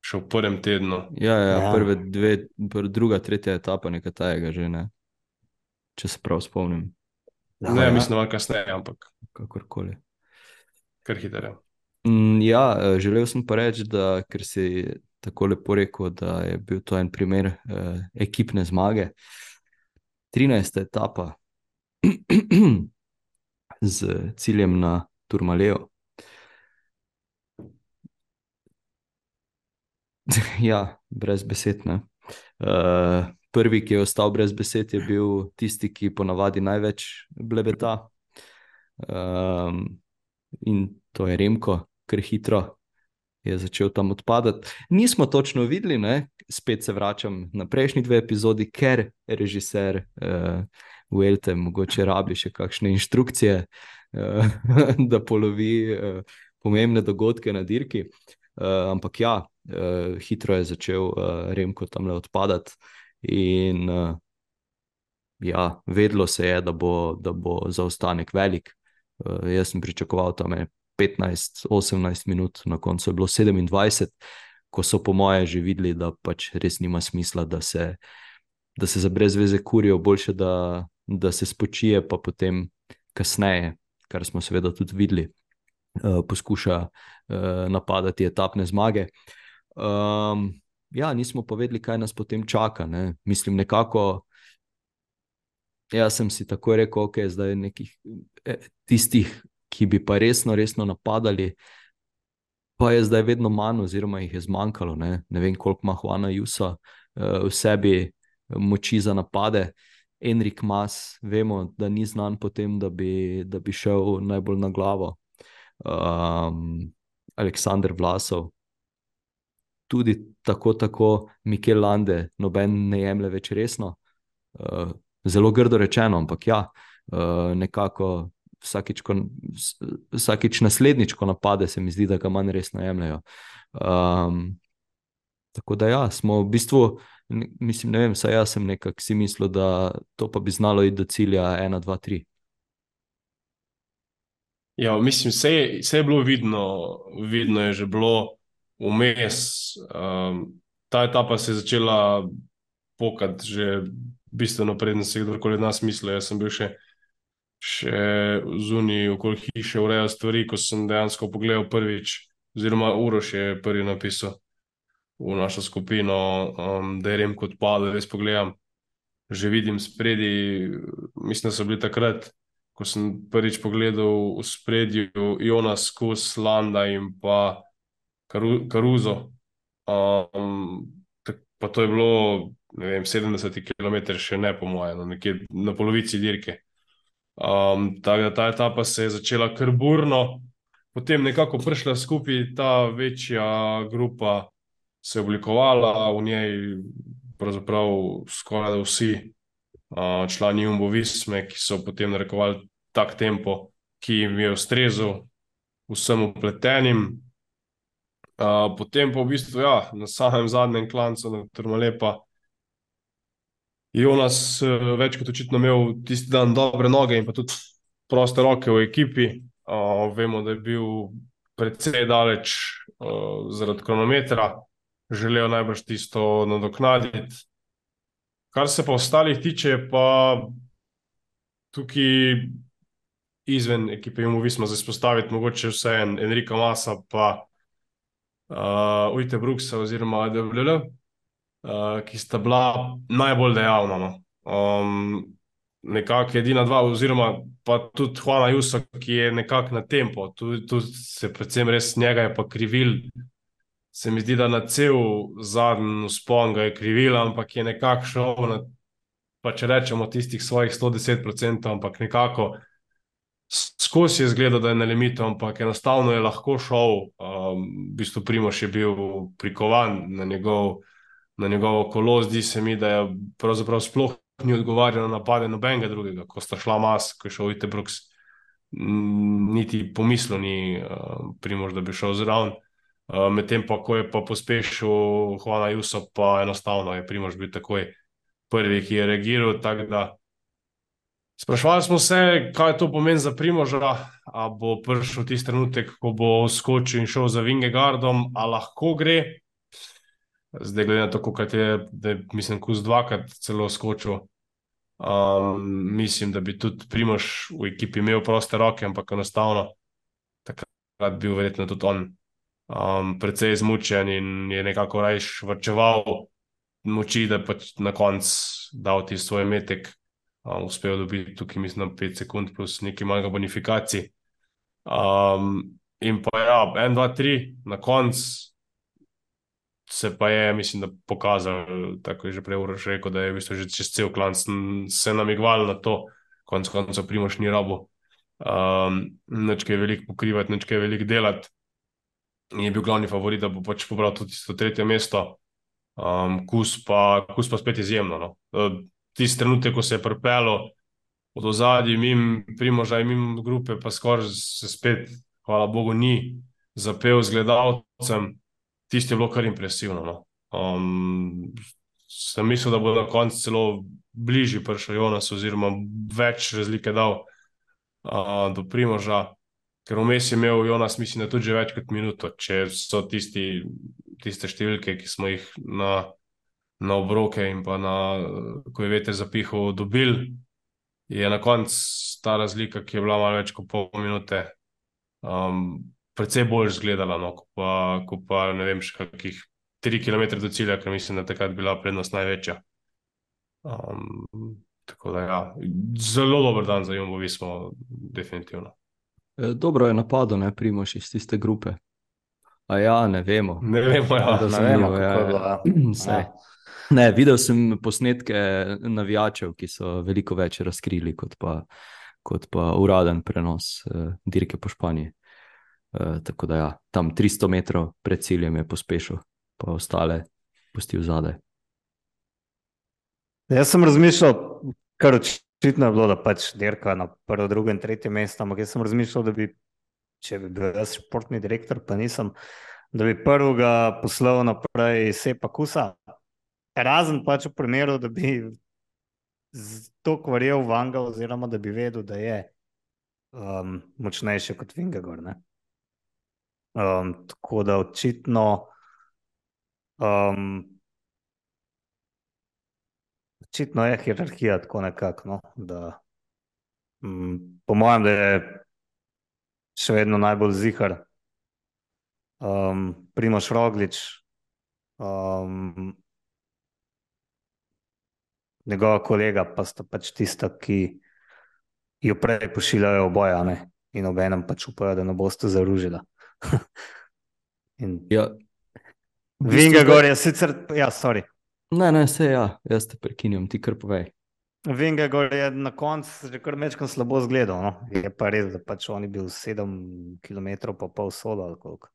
še v prvem tednu. Ja. Prve dve, druga, tretja etapa nekaj tajega že, ne? Če se prav spomnim. Ne, mislim, malo kasneje, ampak kakorkoli. Kar hitro. Ja, želel sem pa reči, da ker si tako lepo rekel, da je bil to en primer ekipne zmage. 13. etapa z ciljem na Tourmalet. Ja, brez besed, ne. Prvi, ki je ostal brez besed, je bil tisti, ki ponavadi največ blebeta. In to je Remko, ker hitro je začel tam odpadati. Nismo točno videli, ne? Spet se vračam na prejšnji 2 epizodi, ker režiser Vuelte mogoče rabi še kakšne inštrukcije, da polovi pomembne dogodke na dirki. Ampak ja, hitro je začel Remko tamle odpadati in ja, vedlo se je, da bo zaostanek velik. Jaz sem pričakoval tam 15-18 minut, na koncu je bilo 27, ko so po moje že videli, da pač res nima smisla, da se za brez veze kurijo, boljše, da se spočije, pa potem kasneje, kar smo seveda tudi videli, poskuša napadati etapne zmage. Ja, nismo pa vedeli, kaj nas potem čaka, ne. Mislim, nekako jaz sem si tako rekel, ok, zdaj nekih tistih, ki bi pa resno napadali, pa je zdaj vedno manj oziroma jih je zmanjkalo, ne. Ne vem, koliko ima Juana Ayuso v sebi, moči za napade. Enrik Mas, vemo, da ni znan po tem, da bi šel najbolj na glavo. Aleksandar Vlasov, tudi tako Mikel Lande, noben ne jemlje več resno. Zelo grdo rečeno, ampak ja, nekako vsakič naslednjič, ko napade, se mi zdi, da ga manj resno jemljajo. Tako da ja, smo v bistvu, mislim, ne vem, saj jaz sem nekako si mislil, da to pa bi znalo iti do cilja 1, 2, 3. Ja, mislim, vse je bilo vidno je že bilo vmes. Ta etapa se je začela pokati že bistveno preden se je kdorkoli od nas mislil. Jaz sem bil še zunaj okoli hiše urejal stvari, ko sem dejansko pogledal prvič, oziroma Uroš je prvi napisal v našo skupino, da je Remko odpadel, res pogledam, že vidim spredi, mislim, da so bili takrat, ko sem prvič pogledal v spredju Jonas, Kus, Landa in pa Caruso. Pa to je bilo, ne vem, 70 km še ne po moje, nekje na polovici dirke. Tako da ta etapa se je začela kar burno, potem nekako prišla skupaj ta večja grupa, se je oblikovala, v njej pravzaprav skoraj da vsi člani Jumbo Visme, ki so potem narekovali tak tempo, ki jim je ustrezal vsem upletenim. Potem pa v bistvu, ja, na samem zadnjem klancu na Tourmalet pa Jonas več kot očitno imel tisti dan dobre noge in pa tudi proste roke v ekipi. Vemo, da je bil precej daleč zaradi kronometra, želel najbrž tisto nadoknaditi. Kar se pa ostalih tiče, pa tukaj izven ekipe Jumbo Visma izpostaviti mogoče vse Enrika Masa pa Ujte Bruksa oziroma AWL, ki sta bila najbolj dejavna. No. Nekako edina dva, oziroma pa tudi Juana Ayuso, ki je nekako na tempo. Tu se predvsem res njega je pa krivil. Se mi zdi, da na cel zadnji vzpon ga je krivila, ampak je nekako šel na, pa če rečemo, tistih svojih 110%, ampak nekako skozi je izgledal, da je na limitu, ampak enostavno je lahko šel. V bistvu Primož je bil prikovan na njegovo kolo. Zdi se mi, da je pravzaprav sploh ni odgovarjal na napade nobenega drugega. Ko sta šla Mas, ko je šel Ujte Bruks, niti pomislil ni Primož, da bi šel zraven. Medtem pa, ko je pa pospešil Juana Ayuso, pa enostavno je Primož bil takoj prvi, ki je reagiral. Tako da sprašvali smo se, kaj to pomeni za Primoža, a bo prišel tisti trenutek, ko bo skočil in šel za Vingegardom, a lahko gre. Zdaj glede na to, kot je, da je, mislim, Kus dvakrat celo skočil. Mislim, da bi tudi Primož v ekipi imel proste roke, ampak enostavno takrat bil verjetno tudi on precej izmučen in je nekako rajš varčeval moči, da pač na koncu dal ti svoj metek. Uspel dobiti tukaj, mislim, 5 sekund plus nekaj malega bonifikacij. In pa ja, 1, 2, 3 na koncu se pa je, mislim, da pokazal, tako je že prej Uroš rekel, da je v bistvu že čez cel klanc se namigval na to, konec koncev Primož ni rabil nič kaj veliko pokrivati, nič kaj veliko delati. In je bil glavni favorit, da bo pač pobral tudi to 3. mesto. Kus pa spet izjemno. No. Tisti trenutek, ko se je pripeljal od ozadja mimo Primoža in mimo grupe, pa skoraj se spet, hvala Bogu, ni zapel z gledalcem. Tisti je bilo kar impresivno. No. Sem mislil, da bo na koncu celo bližji prišel Jonas, oziroma več razlike dal do Primoža, ker vmes je imel Jonas, mislim, da tudi že več kot minuto, če so tiste številke, ki smo jih na obroke in pa ko je veter zapihal, dobil, je na koncu ta razlika, ki je bila malo več kot pol minute, precej bolj izgledala, no, ko pa ne vem, še kakih 3 km do cilja, ker mislim, da takrat bila prednost največja. Tako da ja, zelo dober dan za Jumbo Vismo, definitivno. Dobro je napadel, ne, Primož iz tiste grupe. A ja, ne vemo. Ne vemo, ja. Ne vemo, Razumljivo, kako je bilo. Saj. Ne, videl sem posnetke navijačev, ki so veliko več razkrili kot pa uraden prenos dirke po Španiji. Tako da ja, tam 300 metrov pred ciljem je pospešil, pa ostale pustil zadaj. Jaz sem razmišljal, kar očitno je bilo, da pač dirka na prvo, drugo in tretje mesto, ampak jaz sem razmišljal, da bi, če bi bil jaz športni direktor, pa nisem, da bi prvega poslal naprej Sepa Kusa, razen pač v primeru, da bi toliko verjel v Vanga, oziroma da bi vedel, da je močnejši kot Vingegaard, ne. Tako da očitno očitno je hierarhija tako nekako, no, da po mojem, da je še vedno najbolj zihar Primož Roglič, njegova kolega pa sta pač tista, ki jo prej pošiljajo oboja, ne, in obenem pač upajo, da ne boste zaružila. In Ja, Vingegaard je sicer, ja, sorry. Ne, sej ja, jaz te prekinjam, ti kar povej. Vingegaard je na koncu že kar mečkam slabo zgledal, no. Je pa res, da pač on je bil 7 km pa pol solo ali koliko.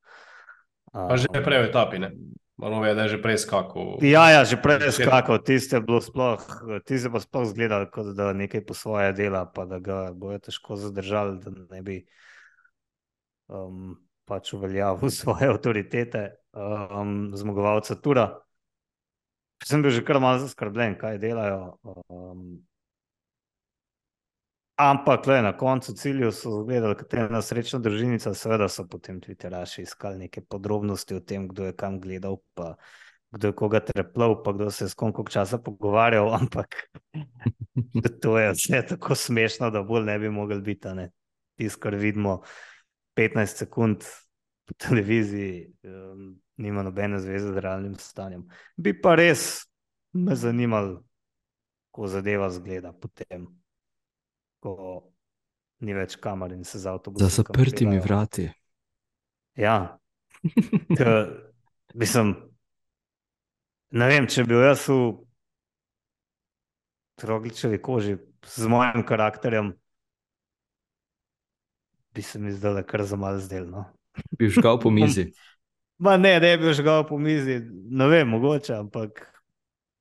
Pa že prej v etapi, ne? Malo je, da je že prej skakal. Ja, že prej je skakal, tiste pa sploh zgledal, kot da nekaj po svoje dela, pa da ga bojo težko zadržali, da ne bi pač uveljavil svoje avtoritete zmagovalca tura. Sem bil že kar malo zaskrbljen, kaj delajo. Ampak na koncu cilju so zgledali, katera srečna družinica, seveda so potem Twitteraši iskali neke podrobnosti o tem, kdo je kam gledal, pa kdo je koga treplal, pa kdo se je s kom koliko časa pogovarjal, ampak to je vse tako smešno, da bolj ne bi mogli biti, ne. Tisto, kar vidimo 15 sekund po televiziji, nima nobene zveze z realnim stanjem. Bi pa res me zanimalo, ko zadeva zgleda potem, ko ni več kamer in se z avtobusom Za zaprtimi peljajo. vrati. Ja, mislim, ne vem, če bi bil jaz v Rogličevi koži z mojim karakterjem, bi se mi zdaj kar za malo zdel, no. Bi žgal po mizi. Ma ne bi žgal po mizi, ne vem, mogoče, ampak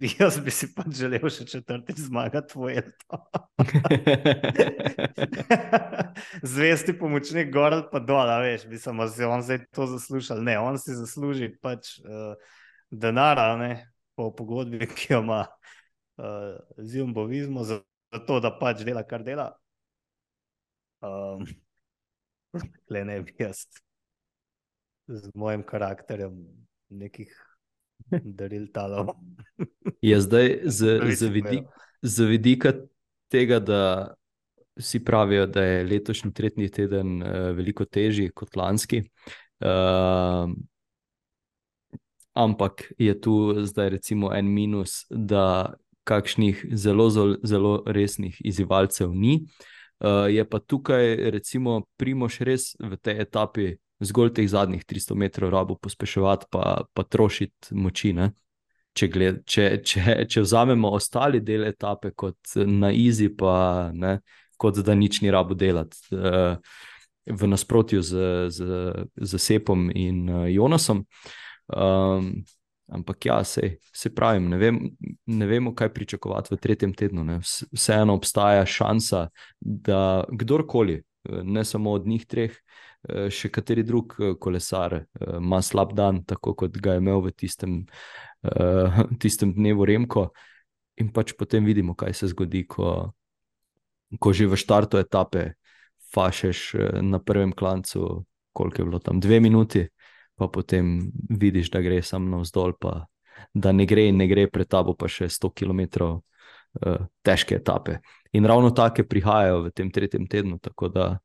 jaz bi si pač želel še četrtič zmagati Vuelto. Zvesti pomočnik gor ali pa dol, a veš, mislim, da si on zdaj to zaslužil. Ne, on si zasluži pač denara, ne, po pogodbi, ki jo ima z Jumbo-Vismo, za to, da pač dela, kar dela. Le ne bi jaz z mojim karakterjem nekih daril talov. Je zdaj z vidika tega, da vsi pravijo, da je letošnji tretji teden veliko težji kot lanski, ampak je tu zdaj recimo en minus, da kakšnih zelo resnih izzivalcev ni. Je pa tukaj recimo Primož res v tej etapi zgolj teh zadnjih 300 metrov rabo pospeševati pa trošiti moči, ne? Če vzamemo ostali del etape kot na izi, pa ne, kot da nič ni rabo delati, v nasprotju z Sepom in Jonasom. Ampak ja, se pravim, ne vemo, kaj pričakovati v tretjem tednu, ne. Vseeno obstaja šansa, da kdorkoli, ne samo od njih treh, še kateri drug kolesar ima slab dan, tako kot ga je imel v tistem dnevu Remko, in pač potem vidimo, kaj se zgodi, ko že v štartu etape fašeš na prvem klancu, koliko je bilo tam, 2 minuti, pa potem vidiš, da gre samo navzdol, pa da ne gre pred tabo pa še 100 km težke etape. In ravno take prihajajo v tem tretjem tednu, tako da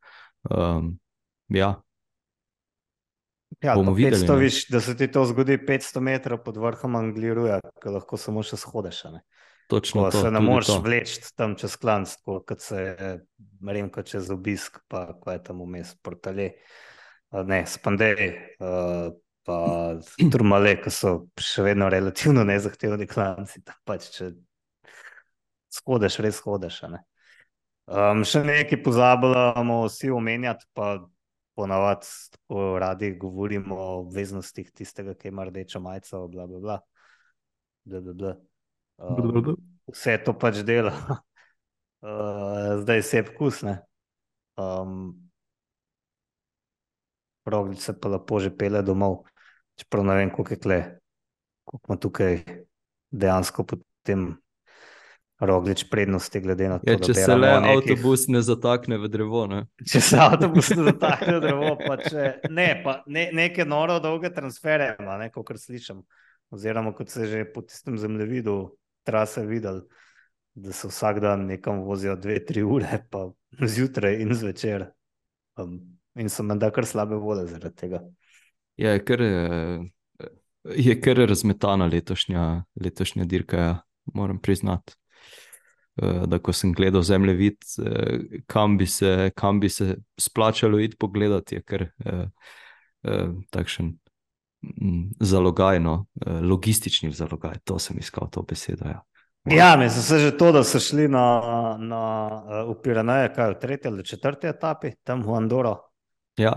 ja. Ja, bomo pa videli, 500, ne. viš, da se ti to zgodi 500 metrov pod vrhom Angliruja, ko lahko samo še shodeš, ne. Točno Ko to, se ne tudi moreš to. vleči tam čez klanc, kot se Remko čez obisk, pa ko je tam vmes Portale, ne, Spandej, pa Turmale, ki so še vedno relativno nezahtevni klanci, tam pač če shodiš, res shodiš, a ne. Še nekaj pozabljamo vsi omenjati, pa ponavadi tako radi govorimo o obveznostih tistega, ki ima rdečo majico, bla, bla, bla. Bla, bla, bla. Vse to pač dela. Zdaj se je vkus, ne. Roglič se pa lepo že pele domov, čeprav ne vem, koliko je kle, koliko ima tukaj dejansko potem Roglič prednosti, glede na to, Ja, da če se le beremo o nekih... avtobus ne zatakne v drevo, ne? Če se avtobus ne zatakne v drevo, pa če... Ne, pa neke noro dolge transfere ima, ne, kakor slišim. Oziroma, kot se že po tistem zemljevidu trase videl, da se vsak dan nekam vozijo 2-3 ure, pa zjutraj in zvečer. In so menda kar slabe vode zaradi tega. Ja, je kar razmetana letošnja dirka, ja, moram priznati. Da ko sem gledal zemljevid, kam bi se splačalo iti pogledati, je kar takšen zalogaj, no, logistični zalogaj, to sem iskal to besedo, ja. Ja, mislim se že to, da so šli v Pireneje, kaj v 3. ali 4. etapi, tam v Andoro. Ja,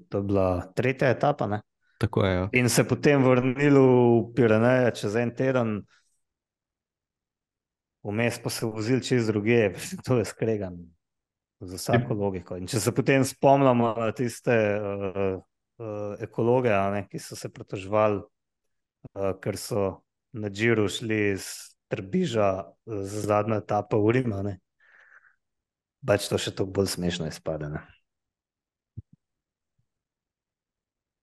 to je bila 3. etapa, ne? tako je, ja. In se potem vrnili v Pireneje čez en teden, vmes pa se vozili čez druge, to je skregan za vsako logiko. In če se potem spomnimo na tiste ekologe, ne, ki so se pritoževali, ker so na Džiru šli iz Trbiža za zadnjo etapo v Rim, ne, pač to še toliko bolj smešno izpade, ne.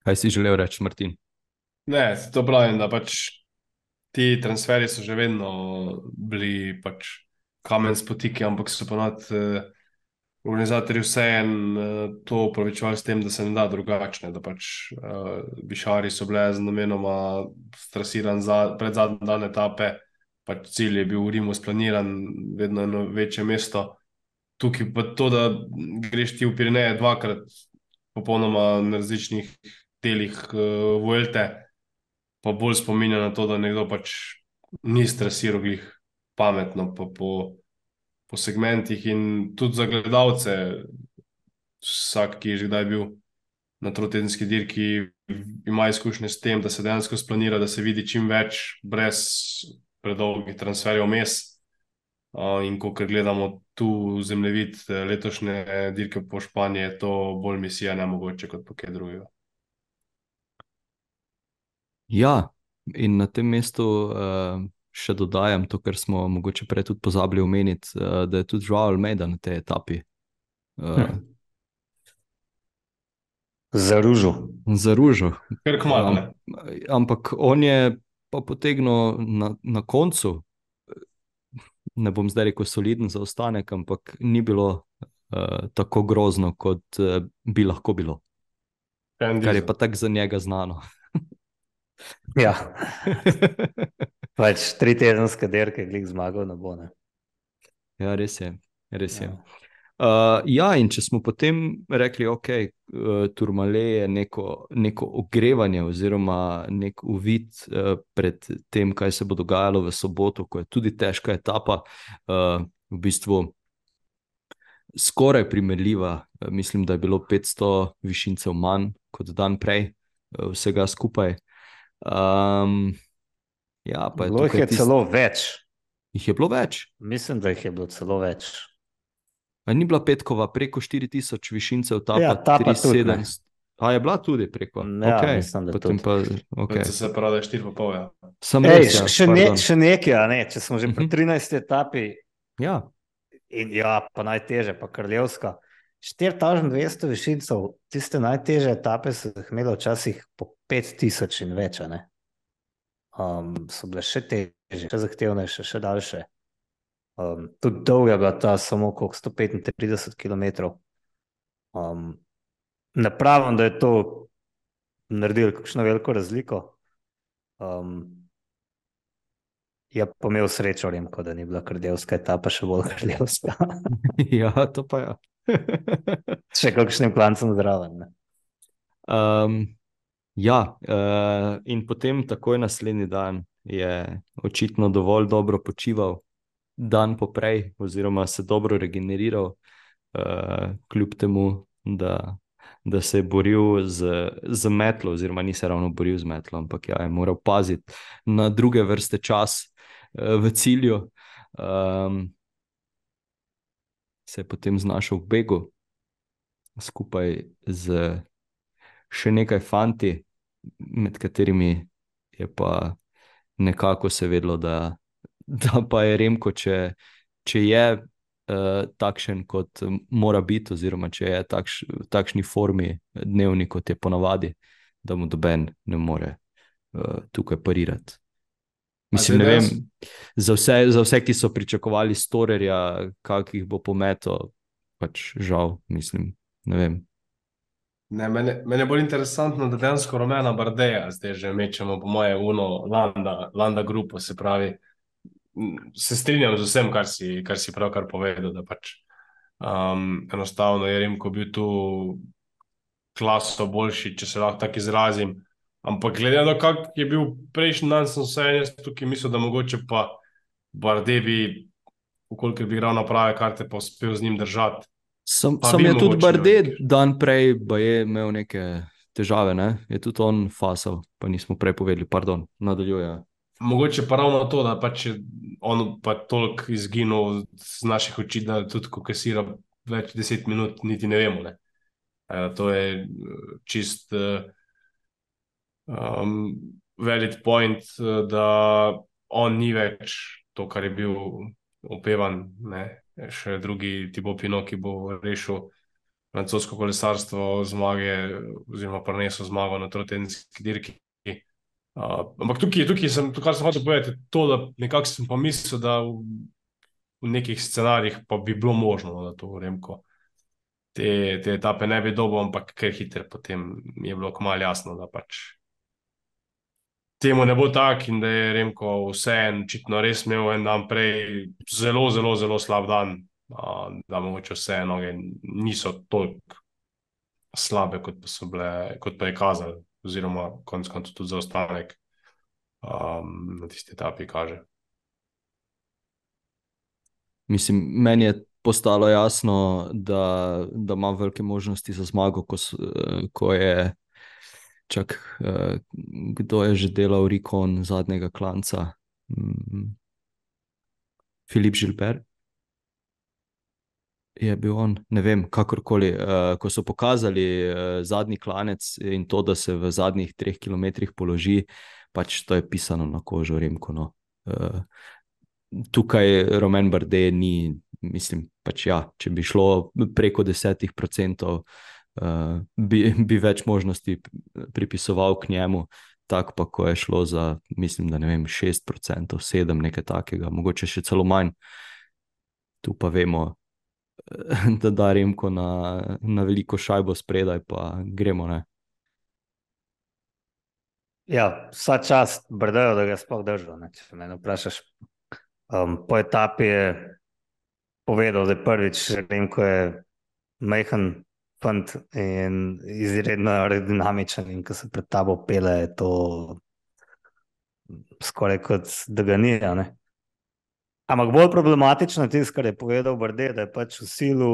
Kaj si želel reči, Martin? Ne, to pravim, da pač ti transferi so že vedno bili pač kamen spotike, ampak so ponovadi organizatorji vseeno to upravičevali s tem, da se ne da drugačne, da pač Bišari so bile z namenoma strasiran pred zadnji dan etape, pač cilj je bil v Rimu splaniran, vedno eno večje mesto. Tukaj pa to, da greš ti v Pireneje dvakrat popolnoma na različnih delih Vuelte, pa bolj spominja na to, da nekdo pač ni strasiral glih pametno pa po segmentih in tudi za gledalce, vsak, ki je že kdaj bil na trotedenski dirki, ima izkušnje s tem, da se dejansko splanira, da se vidi čim več brez predolgih transferjev vmes. In ko gledamo tu zemljevid letošnje dirke po Španiji, je to bolj misija nemogoče kot po kaj drugega. Ja, in na tem mestu še dodajam to, kar smo mogoče prej tudi pozabili omeniti, da je tudi Joao Almeida na tej etapi. Zaružil. Kar kmalu, ne? Ampak on je pa potegnil na koncu, ne bom zdaj rekel soliden zaostanek, ampak ni bilo tako grozno, kot bi lahko bilo. Kar je pa tako za njega znano. Ja, pač 3-tedenske dirke glih zmagal ne bo, ne. Ja, res je. Ja, in če smo potem rekli, ok, Tourmalet je neko ogrevanje oziroma nek uvid pred tem, kaj se bo dogajalo v soboto, ko je tudi težka etapa, v bistvu skoraj primerljiva, mislim, da je bilo 500 višincev manj kot dan prej, vsega skupaj. Ja, pa bilo jih je celo več. Jih je bilo več? Mislim, da jih je bilo celo več. A ni bila petkova preko 4000 višincev, Ja, ta pa tudi ne. 3700? A je bila tudi preko? Ja, Ok, mislim, da potem tudi. pa, ok. Se pravi, da je 4,5, ja. Sem res, ja, še pardon. nekaj, a ne, če smo že pri 13. etapi, Ja, in ja, pa najteže, pa Krljevska. 4200 višincev, tiste najteže etape so jih imeli včasih po 5000 in več, a ne. So bile še težje, še zahtevnejše, še daljše. Tudi dolga bila ta samo koliko 135 kilometrov. Ne pravim, da je to naredilo kakšno veliko razliko. Je pa imel srečo Remko, da ni bila Krljevska etapa še bolj Krljevska. ja, to pa ja. Še kakšnim klancem zraven, ne. Ja, in potem takoj naslednji dan je očitno dovolj dobro počival, dan poprej, oziroma se dobro regeneriral, kljub temu, da se je boril z metlo, oziroma ni se ravno boril z metlo, ampak ja, je moral paziti na druge vrste čas v cilju. Se je potem znašel v begu skupaj z še nekaj fanti, med katerimi je pa nekako se vedelo, da pa je Remko, če je takšen, kot mora biti, oziroma če je v takšni formi dnevni, kot je ponavadi, da mu noben ne more tukaj parirati. Mislim, ne vem, za vse, ki so pričakovali Storerja, kakih bo pometo, pač žal, mislim, ne vem. Ne, mene je bolj interesantno, da dejansko rumena Bardeja zdaj že mečemo, po moje, Landa grupo, se pravi, se strinjam z vsem, kar si pravkar povedal, da pač enostavno je Remko bil tu klaso boljši, če se lahko tako izrazim. Ampak glede na to, kak je bil prejšnji dan, sem vseeno jaz tukaj mislil, da mogoče pa Barde bi, vkolikor bi igral na prave karte, pa uspel z njim držati. Sam bi je tudi mogoče Barde velik. dan prej je imel neke težave, ne? Je tudi on fasal, pa nismo prej povedali, pardon, nadaljuje. Mogoče pa ravno to, da pač je on pa toliko izginil z naših oči, da tudi ko kasira več 10 minut, niti ne vemo, ne. To je čist valid point, da on ni več to, kar je bil opevan, ne. Še drugi Thibaut Pinot, ki bo rešil francosko kolesarstvo zmage oziroma prinesel zmago na trotedenski dirki. Ampak tukaj sem, kar sem hotel povedati, je to, da nekako sem pa mislil, da v nekih scenarijih pa bi bilo možno, da to Remko te etape ne bi dobil, ampak kar hitro potem je bilo kmalu jasno, da pač temu ne bo tako in da je Remko vseeno očitno res imel en dan prej zelo, zelo, zelo slab dan, da mogoče vse noge niso toliko slabe, kot pa so bile, kot pa je kazalo, oziroma konec koncev tudi zaostanek na tisti etapi kaže. Mislim, meni je postalo jasno, da ima velike možnosti za zmago, ko je kdo je že delal Rikon zadnjega klanca? Filip Gilbert? Je bil on, ne vem, kakorkoli. Ko so pokazali zadnji klanec in to, da se v zadnjih 3 kilometrih položi, pač to je pisano na kožo Remko, no. Tukaj Romain Bardet ni, mislim, pač ja, če bi šlo preko 10%, bi več možnosti pripisoval k njemu, tako pa ko je šlo za, mislim, da ne vem, 6%, 7%, nekaj takega, mogoče še celo manj. Tu pa vemo, da Remko na veliko šajbo spredaj, pa gremo, ne. Ja, vsa čast Bardeju, da ga je sploh držal, ne, če me vprašaš. Po etapi je povedal, da je prvič Remko je majhen fant in izredno aerodinamičen in ko se pred tabo pele, je to skoraj kot da ga ni, ne. Ampak bolj problematično je tisto, kar je povedal Bardet, da je pač v silu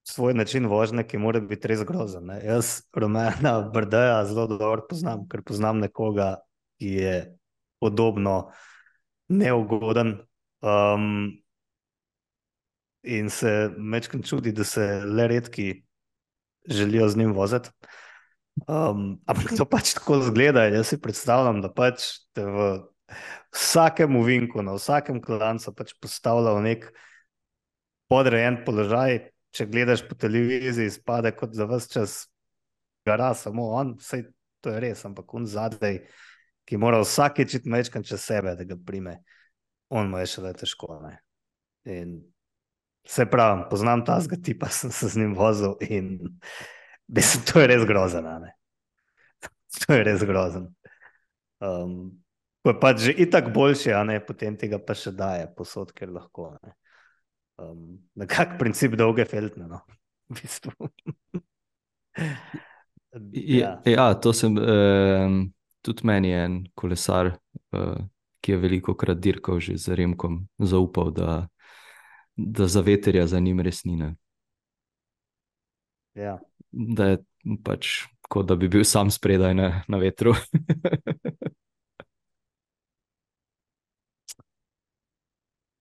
svoj način vožnje, ki mora biti res grozen, ne. Jaz Romaina Bardeja zelo dobro poznam, ker poznam nekoga, ki je podobno neugoden in se majčkeno čudi, da se le redki želijo z njim voziti. Ampak to pač tako izgleda in jaz si predstavljam, da pač te v vsakem ovinku, na vsakem klancu pač postavlja v nek podrejen položaj. Če gledaš po televiziji, izpade kot za ves čas gara samo on, saj to je res, ampak on zadaj, ki mora vsakič iti majčkeno čez sebe, da ga prime, on mu je šele težko, ne. In se pravim, poznam tazga tipa, sem se z njim vozil in mislim, to je res grozen, ne. To je res grozen. Ko je pač že itak boljši, a ne, potem tega pa še daje posod, ker lahko, ne. Nekak princip dolge feltne, no, v bistvu. Ja. To sem, tudi meni je en kolesar, ki je veliko krat dirkal že z Remkom, zaupal, da za veterja za njim res ni, ne. Ja. Da je pač kot da bi bil sam spredaj na vetru.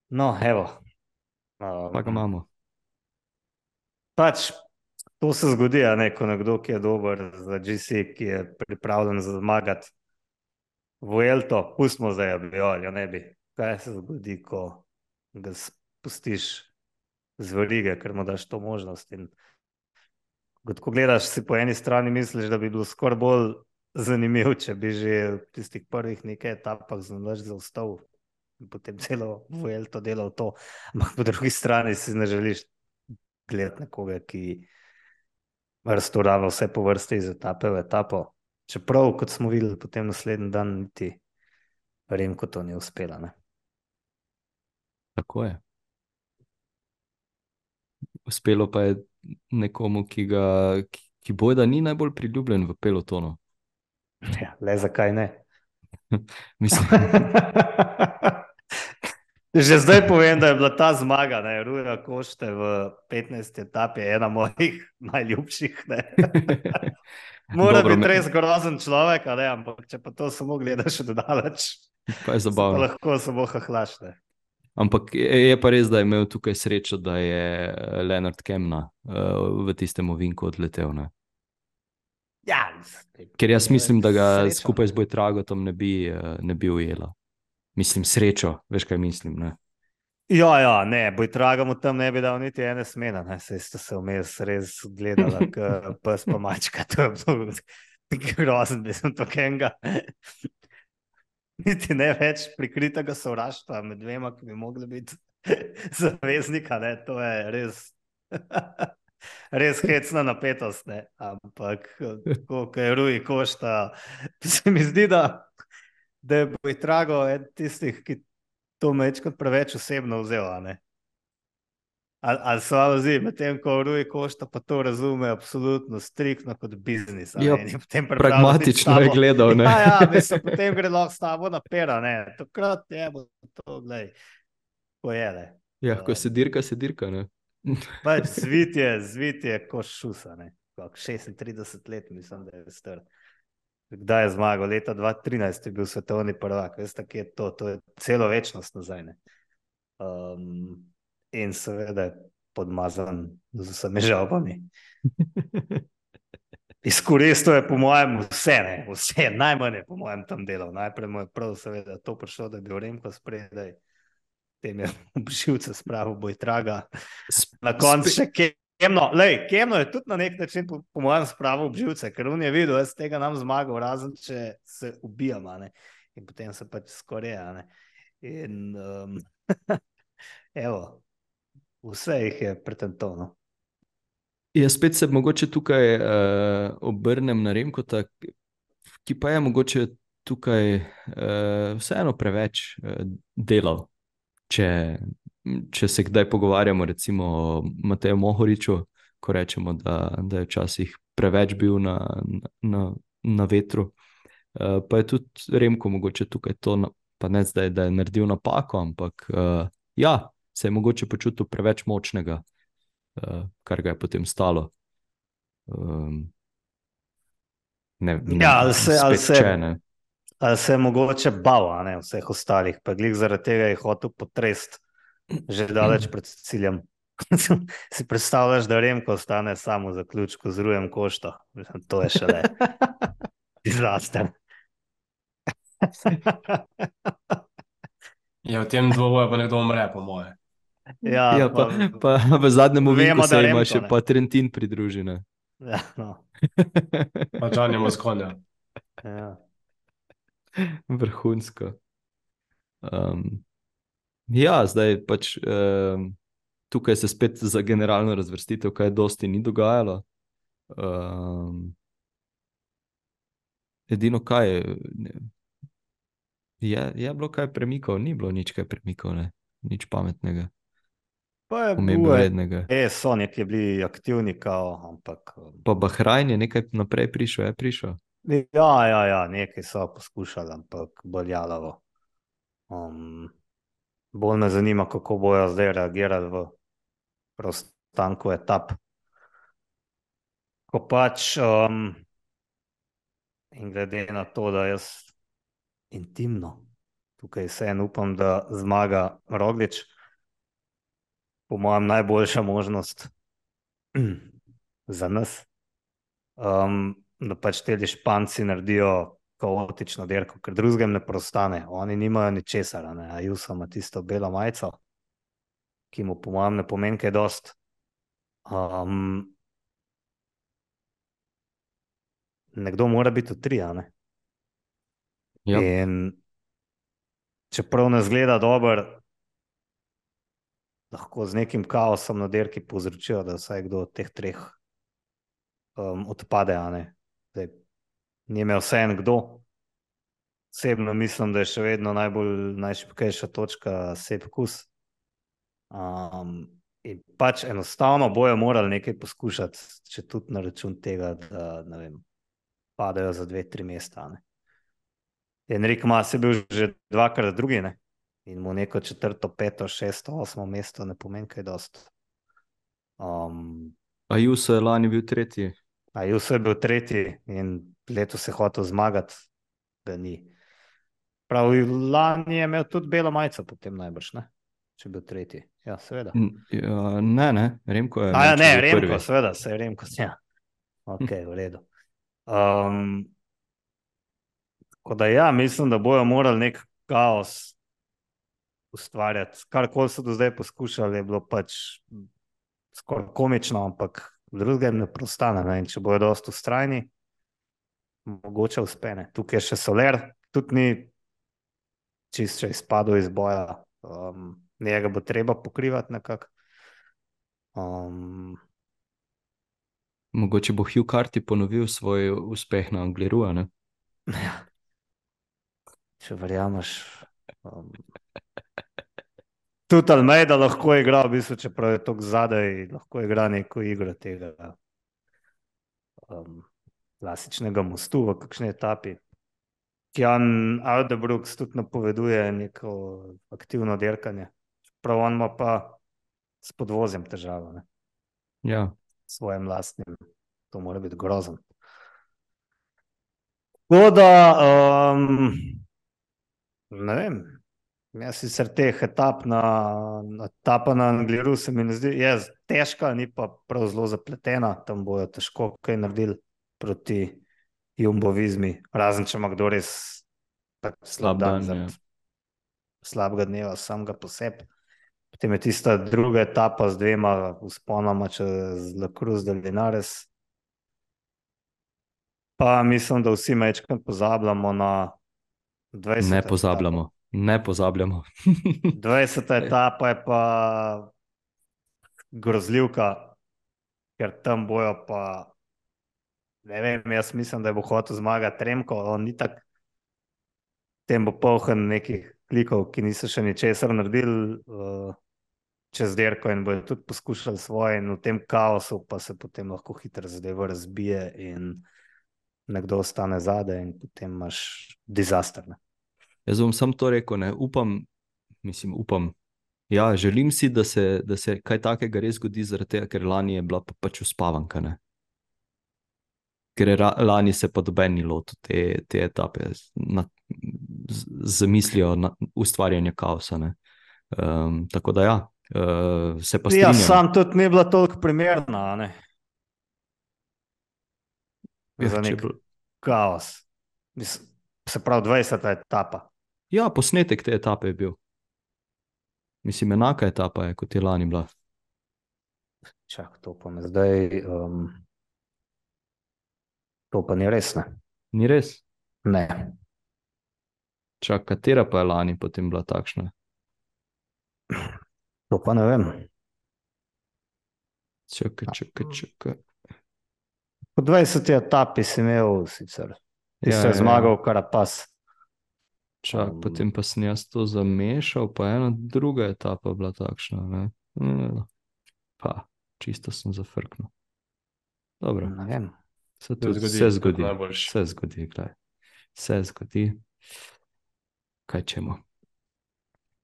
No, evo. Pa ga imamo. Pač to se zgodi, a ne, ko nekdo, ki je dober za GC, ki je pripravljen zmagati Vuelto, pustimo zdaj, abijo, ne bi. Kaj se zgodi, ko ga spustiš z verige, ker mu daš to možnost. In ko gledaš, si po eni strani misliš, da bi bilo skoraj bolj zanimivo, če bi že v tistih prvih nekaj etapah znalaš zaustavil in potem celo Vuelto delal to. Ampak po drugi strani si ne želiš gledati nekoga, ki raztorava vse po vrsti iz etape v etapo. Čeprav, kot smo videli, potem naslednji dan niti Remko to ni uspela, ne. Tako je. Uspelo pa je nekomu, ki bojda ni najbolj priljubljen v pelotonu. Ja, le zakaj ne? Mislim, Že zdaj povem, da je bila ta zmaga, ne, Ruja Košte v 15. etapi ena mojih najljubših, ne. Mora dobro, biti res grozen človek, a ne, ampak če pa to samo gledaš od daleč, pa je se pa zabavno. lahko samo hahlaš, ne. Ampak je pa res, da je imel tukaj srečo, da je Leonard Kemna v tistem ovinku odletel, ne. Ja, Ker jaz mislim, da ga sreča. skupaj z Bojtragotom ne bi ujela. Mislim, srečo, veš kaj mislim, ne. Ja, ne, Bojtraga mu tam ne bi dal niti ene smene, ne, saj sta se vmes res gledala, pes pa mačka, to je bilo grozen, mislim, to kenga. Niti ne več prikritega sovraštva med dvema, ki bi mogli biti zaveznika, ne, to je res, res hecna napetost, ne, ampak tako, ko je Rui Košta, se mi zdi, da je Bojtrago eden tistih, ki to mečkrat preveč osebno vzel, a ne. Ali se vam zdi, medtem ko Rui Košta pa to razume absolutno striktno kot biznis, a Ja, ne, in je potem pripravljen pragmatično je biti s tabo- gledal, ne. Ja, mislim, potem gre lahko s tabo na pera, ne, takrat je bo to, glej, ko je, ne. Ja, ko se dirka, ne. Pač zvit je ko šusa, ne, kako 36 let, mislim, da je star. Kdaj je zmagal? Leta 2013 je bil svetovni prvak, veste, kje je to je celo večnost nazaj, ne. In seveda je podmazan z vsemi žalbami. Izkoristil je po mojem vse, najmanj je po mojem tam delal. Najprej mu je prav seveda to prišlo, da je bil Remko spredaj, potem je obživce spravil Bojtraga, na koncu še Kemno, Kemno je tudi na nek način po mojem spravil obživce, ker on je videl, jaz tega nam zmagal, razen če se ubijam, a ne, in potem se pač skoreja, ne, in evo, vse jih je pretentovno. Ja, spet se mogoče tukaj obrnem na Remkota, ki pa je mogoče tukaj vseeno preveč delal. Če se kdaj pogovarjamo recimo o Mateju Mohoriču, ko rečemo, da je včasih preveč bil na vetru, pa je tudi Remko mogoče tukaj to, pa ne zdaj, da je naredil napako, ampak ja, se je mogoče počutil preveč močnega, kar ga je potem stalo. Ja, ali se je mogoče bal, a ne, vseh ostalih, pa glih zaradi tega je hotel potrest že daleč pred ciljem. Si predstavljaš, da Remko ostane samo v zaključku z Rujem Košto? Mislim, to je šele disaster. Ja, v tem dvoboju pa nekdo umre, po moje. Ja, pa v zadnjem ovinku vemo, da se ima Remko, še ne. pa Trentin pridružene. Ja, no. Pa Gianni Moscona. Ja. Vrhunsko. Ja, zdaj pač tukaj se spet za generalno razvrstitev kaj dosti ni dogajalo. Edino kaj je bilo kaj premikov, ni bilo nič kaj premikov, ne, nič pametnega. Pa je omembe bil, vrednega. so neki bili aktivni, kao, ampak Pa Bahrajn je nekaj naprej prišel, je prišel. ja, nekaj so poskušali, ampak bolj jalavo. Bolj me zanima, kako bojo zdaj reagirali v prostanku etap. Ko pač, in glede na to, da jaz intimno tukaj vseeno upam, da zmaga Roglič, po mojem najboljša možnost za nas, da pač te Španci naredijo kaotično dirko, ker drugem ne prostane. Oni nimajo ničesar, Ayuso ima tisto belo majico, ki mu po mojem ne pomeni kaj dost. Nekdo mora biti v tri, ne? Ja. In čeprav ne zgleda dober, lahko z nekim kaosom na dirki povzročijo, da vsaj kdo od teh treh odpade, a ne. Zdaj, ni imel vseeno kdo. Osebno mislim, da je še vedno najšibkejša točka Sepp Kuss. In pač enostavno bojo morali nekaj poskušati, če tudi na račun tega, da ne vem, padajo za 2-3 mesta, ne. Enric Mas je bil že dvakrat drugi, ne? In mu neko 4., 5., 6., 8. mesto ne pomeni kaj dost. Ayuso je lani bil tretji. Ayuso je bil tretji in letos je hotel zmagati, ga ni. Prav, lani je imel tudi belo majico potem najbrž, ne? Če je bil tretji. Ja, seveda. Ne, Remko je Ja, imel, če ne, je bil Remko, prvi. seveda, se je Remko, ja. Ok, v redu. Tako da ja, mislim, da bojo morali nek kaos ustvarjati. Karkoli so do zdaj poskušali, je bilo pač skoraj komično, ampak drugem ne prostane, ne? In če bojo dosti vztrajni, mogoče uspene. Tukaj je še Soler, tudi ni čist še izpadel iz boja. Njega bo treba pokrivati nekako. Mogoče bo Hugh Carty ponovil svoj uspeh na Angliru, ne? Če verjameš. Tudi Almeida lahko igra, v bistvu, čeprav je tako zadaj, lahko igra neko igro tega klasičnega mostu v kakšni etapi. Jan Aldebrooks tudi napoveduje neko aktivno dirkanje. Čeprav on ima pa s podvozjem težavo, ne? Ja. Svojim lastnim. To mora biti grozen. Tako da, ne vem, jaz sicer teh etapa na Angliru se mi ne zdi, je težka, ni pa prav zelo zapletena, tam bojo težko kaj naredili proti Jumbo-Vismi, razen če ima kdo res slab dan, zaradi slabega dneva samega po sebi. Potem je tista druga etapa z 2 vzponoma čez La Cruz del Linares. Pa mislim, da vsi majčkrat pozabljamo na 20. Ne pozabljamo, ne pozabljamo. 20. etapa je pa grozljivka, ker tam bojo pa, ne vem, jaz mislim, da bo hotel zmagati Remko, on ni tak, tem bo polhen nekih klikov, ki niso še ničesar naredili čez dirko in bojo tudi poskušali svoje in v tem kaosu pa se potem lahko hitro zadeva razbije in nekdo ostane zadaj in potem imaš disaster, ne. Jaz bom sam to rekel, ne, upam, ja, želim si, da se kaj takega res zgodi, zaradi tega, ker lani je bila pač uspavanka, ne. Ker lani se pa doben ni lotil te etape z mislijo na ustvarjanje kaosa, ne. Tako da ja, se pa strinjam. Ja, sam tudi ni bila toliko primerna, ne. Za nek kaos. Se pravi 20. etapa. Ja, posnetek te etape je bil. Mislim, enaka etapa je, kot je lani bila. Čak, to pa me zdaj... To pa ni res, ne. Ni res? Ne. Čak, katera pa je lani potem bila takšna? To pa ne vem. Čakaj. Po 20. etapi si imel sicer. Ti se je zmagal Carapaz. Čak, potem pa sem jaz to zamešal, pa ena druga etapa bila takšna, ne. Pa, čisto sem zafrknil. Dobro, Ne vem. se tudi vse zgodi. Najboljši. Vse zgodi, gledaj. Vse zgodi. Kaj čemo?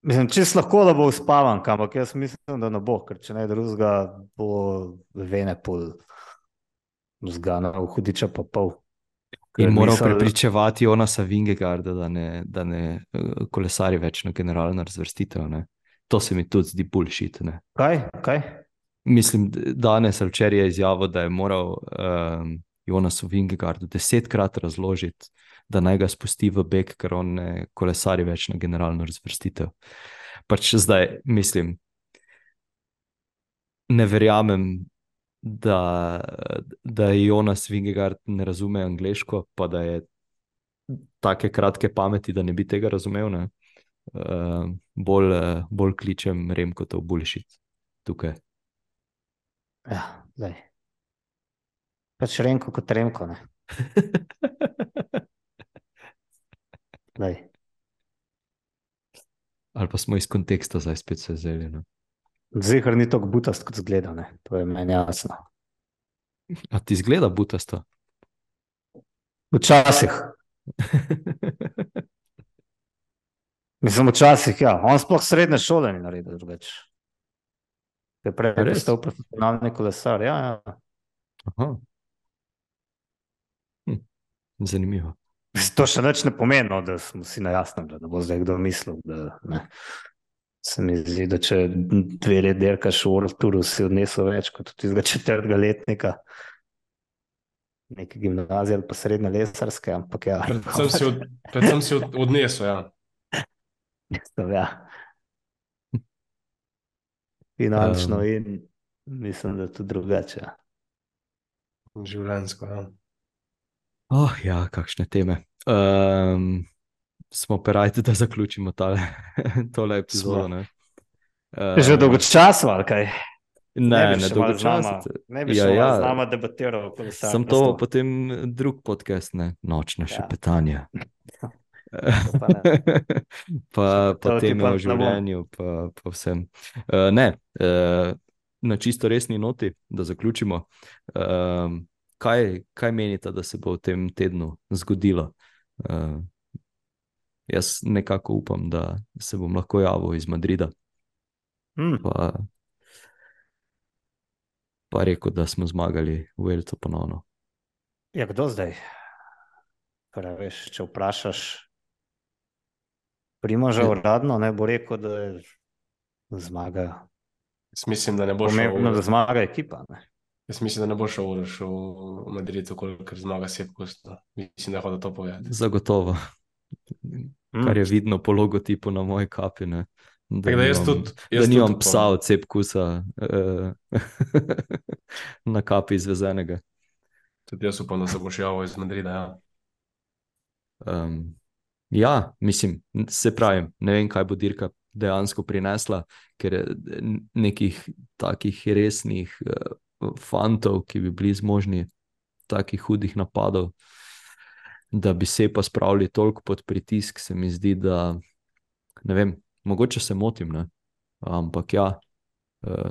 Mislim, čisto lahko, da bo uspavan, ampak jaz mislim, da ne bo, ker če ne drugega, bo vene pol zganil, hudiča pa pol. In Ker moral nisem- prepričevati Jonasa Vingegaarda, da ne kolesari več na generalno razvrstitev. Ne? To se mi tudi zdi bullshit. Ne? Kaj? Mislim, danes ali včeraj je izjavil, da je moral Jonasu Vingegaardu 10-krat razložiti, da naj ga spusti v beg, ker on ne kolesari več na generalno razvrstitev. Pač zdaj mislim, ne verjamem, da je Jonas Vingegaard ne razume angleško, pa da je take kratke pameti, da ne bi tega razumel. Ne? Bolj kličem Remko to bullshit tukaj. Ja, zdaj. Pač Remko kot Remko, ne. Zdaj. Ali pa smo iz konteksta zdaj spet se vzeli. Ne? Zihar ni tako butast, kot zgleda, ne. To je meni jasno. A ti zgleda butasto? Včasih. Mislim, včasih, ja. On sploh srednje šole ni naredil drugače. Je prej Res? postal profesionalni kolesar, ja. Aha. Zanimivo. To še nič ne pomeni, no, da smo si na jasnem, da ne bo zdaj kdo mislil, da ne. Se mi zdi, da če 2 leti dirkaš v World Touru, si odnesel več kot od tistega 4. letnika neke gimnazije ali pa srednje lesarske, ampak ja. Predvsem si odnesel, ja. Mislim, ja. Finančno in mislim, da tudi drugače. Ja. Življenjsko, ja. Oh, ja, kakšne teme. Smo perajti, da zaključimo tole epizodo. Smo. Ne? Že dolgočasno, ali kaj? Ne še malo z nama- dolgočasno. Ne bi še malo z nama debatiral. o Sem to kolesarstvu. potem drug podcast, ne? Nočna Ja. šepetanja. pa ne. pa Šepetal ti teme pa o ne bom. življenju, pa vsem. Ne, na čisto resni noti, da zaključimo. Kaj menite, da se bo v tem tednu zgodilo? Jaz nekako upam, da se bom lahko javil iz Madrida, pa rekel, da smo zmagali v Elcu ponovno. Ja, kdo zdaj? Veš, če vprašaš Primoža uradno, ne bo rekel, da je zmaga. Jaz mislim, da ne bo šel. Pomembno, da zmaga ekipa. Ne? Jaz mislim, da ne bo šel Uroš v Madrid, ker zmaga Sepkus. Mislim, da je hodil to povedati. Zagotovo. Kar je vidno po logotipu na moji kapi. Ne? Tako da jaz tudi nimam upam. psa od Sepkusa na kapi izvezenega. Tudi jaz upam, da se boš javil iz Madrida. Ja. Ja, mislim, se pravim, ne vem, kaj bo dirka dejansko prinesla, ker nekih takih resnih fantov, ki bi bili zmožni takih hudih napadov, da bi se pa spravili toliko pod pritisk, se mi zdi, da ne vem, mogoče se motim, ne? Ampak ja,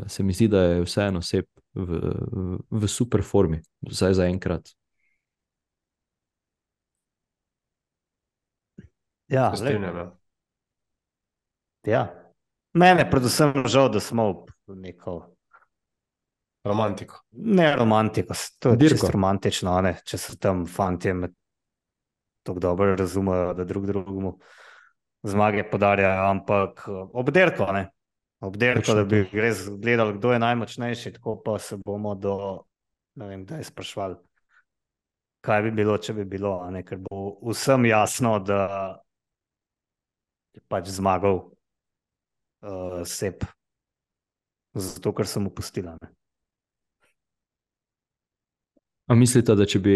se mi zdi, da je vseeno Sep v super formi, vsaj za enkrat. Ja, Se strinjam, ja. Ja. Mene predvsem žal, da smo v neko Romantiko. ne romantiko, to je Dirko. čisto romantično, ne? Če so tam fantje tako dobro razumejo, da drug drugemu zmage podarjajo, ampak ob dirko, ne? Ob dirko, Točno da bi res gledali, kdo je najmočnejši, tako pa se bomo ne vem, kdaj sprašvali, kaj bi bilo, če bi bilo, a ne? Ker bo vsem jasno, da je pač zmagal Sep, zato ker sem upustila. Ne? A mislite, da če bi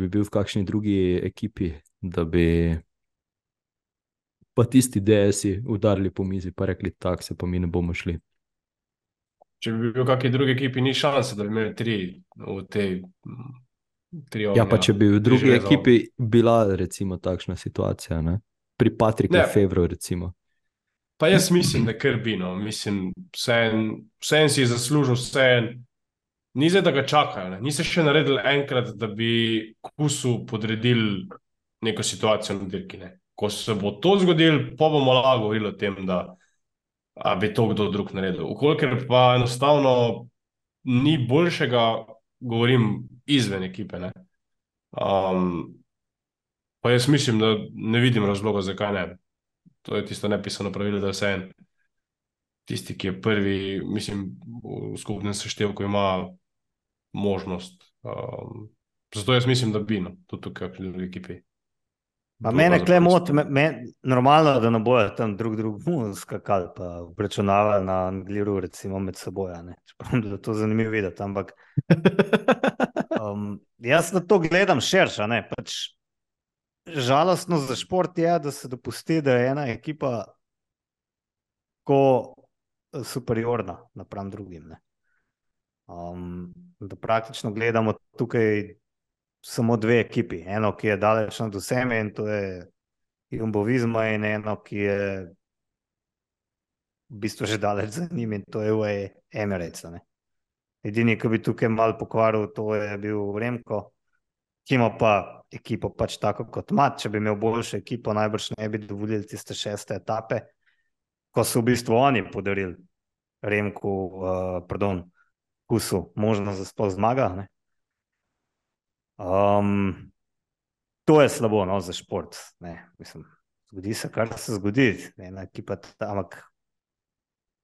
bil v kakšni drugi ekipi, da bi pa tisti DS-i udarili po mizi pa rekli, tak se pa mi ne bomo šli? Če bi bil v kakšni drugi ekipi, ni šanse, da bi imeli 3 v tej 3 Ja, pa če bi v drugi železov. ekipi bila recimo takšna situacija, ne? Pri Patriku Ne. Fevru recimo. Pa jaz mislim, da kar bi, no. Mislim, vse si je zaslužil, ni zdaj, da ga čakajo. Ne. Ni se še naredil enkrat, da bi Kusu podredili neko situacijo na dirki. Ne. Ko se bo to zgodilo, pa bomo lahko govorili o tem, da bi to kdo drug naredil. Ukolikor pa enostavno ni boljšega, govorim izven ekipe. Ne. Pa jaz mislim, da ne vidim razloga, zakaj ne. To je tisto nepisano pravilo, da vse en tisti, ki je prvi, mislim, v skupnem seštevku ima možnost. Zato jaz mislim, da bi, no, tudi tukaj v drugi ekipi. Pa mene kle moti, normalno, da ne bojo tam drug skakali pa obračunavali na Angliru recimo med seboj, ne. Čeprav da to zanimivo videti, ampak jaz na to gledam širše, ne, pač žalostno za šport je, da se dopusti, da je ena ekipa ko superiorna napram drugim, ne. Da praktično gledamo tukaj samo dve ekipi. Eno, ki je daleč nad vsemi in to je Jumbo Visma in eno, ki je v bistvu že daleč za njim in to je UAE Emirates, ne. Edini, ki bi tukaj malo pokvaril, to je bil Remko, ki ima pa ekipo pač tako kot ima. Če bi imel boljšo ekipo, najbrž ne bi dovolili tiste 6. etape, ko so v bistvu oni podarili Remku, Kusu možnost, da sploh zmaga, ne. To je slabo, no, za šport, ne, mislim, zgodi se, kar se zgodi, ena ekipa ampak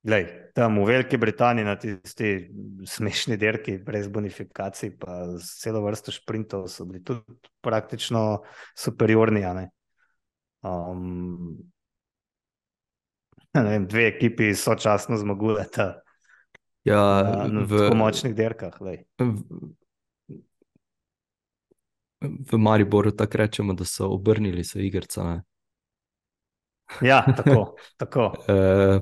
glej, tam v Veliki Britaniji na tisti smešni dirki brez bonifikacij pa z celo vrsto šprintov so bili tudi praktično superiorni, a ne. Ne vem, dve ekipi sočasno zmagujeta na tako močnih dirkah, glej. V Mariboru tako rečemo, da so obrnili so igrca, ne. Ja, tako.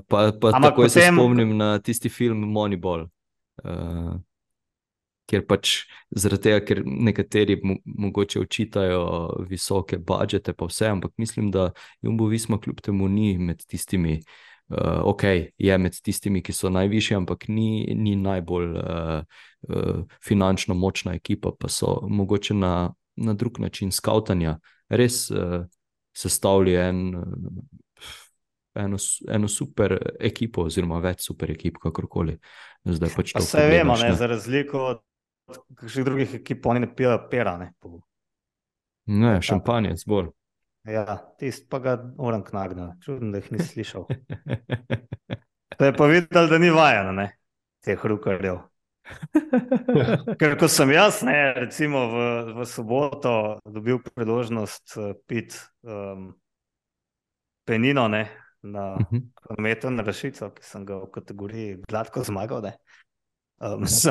Pa takoj se spomnim na tisti film Moneyball, kjer pač zaradi tega, ker nekateri mogoče očitajo visoke budžete pa vse, ampak mislim, da Jumbo Visma kljub temu ni med tistimi, je med tistimi, ki so najvišji, ampak ni najbolj finančno močna ekipa, pa so mogoče na drug način skavtanja res sestavili eno super ekipo oziroma več super ekip, kakorkoli. Zdaj pač to pogledaš. Vse vemo, ne, za razliko od kakšnih drugih ekip, oni ne pijo pera, ne. Ne, šampanjec bolj. Ja, tist pa ga Oran knagna, čudno, da jih ni slišal. To je pa videl, da ni vajen, ne, teh rukarjev. Ker ko sem jaz, ne, recimo v soboto dobil priložnost piti penino, ne, na kronometru na Rašico, ki sem ga v kategoriji gladko zmagal, ne.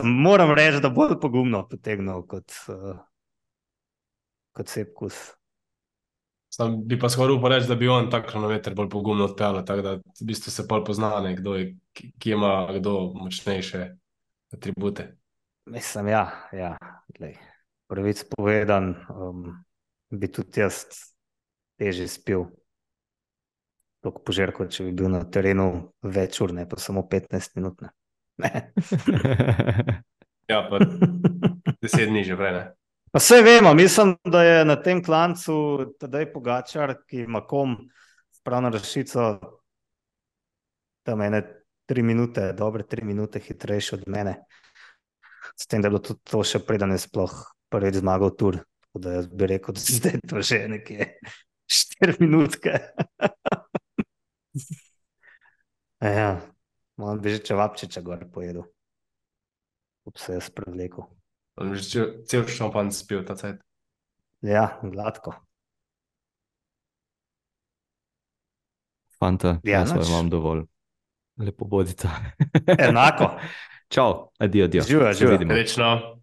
Moram reči, da bolj pogumno potegnil kot Sepp Kuss. Bi pa skoraj upal reči, da bi on tak kronometer bolj pogumno odpeljal, tako da v bistvu se pol pozna, ne, ki ima kdo močnejše atribute. Mislim, ja, glej, pravic povedan, bi tudi jaz težje spil toliko požirkov, če bi bil na terenu več ur, ne pa samo 15 minut, ne. Ja, pa 10 dni že prej, ne. Pa saj vemo, mislim, da je na tem klancu Tadej Pogačar, ki ima sprav na Rašico tam ene 3 minute, dobre 3 minute hitrejši od mene. S tem, da je bilo tudi to še preden je sploh prvič zmagal Tour. Tako da jaz bi rekel, da zdaj to že nekje 4 minutke. Ja, moram bi že čevapčiča gor pojedel. Up se jaz prevlekel. On že cel šampanj spil ta cajt. Ja, gladko. Fanta, jaz vam dovolj. Lepo bodite. Enako. Čau, adijo. Živijo. Srečno.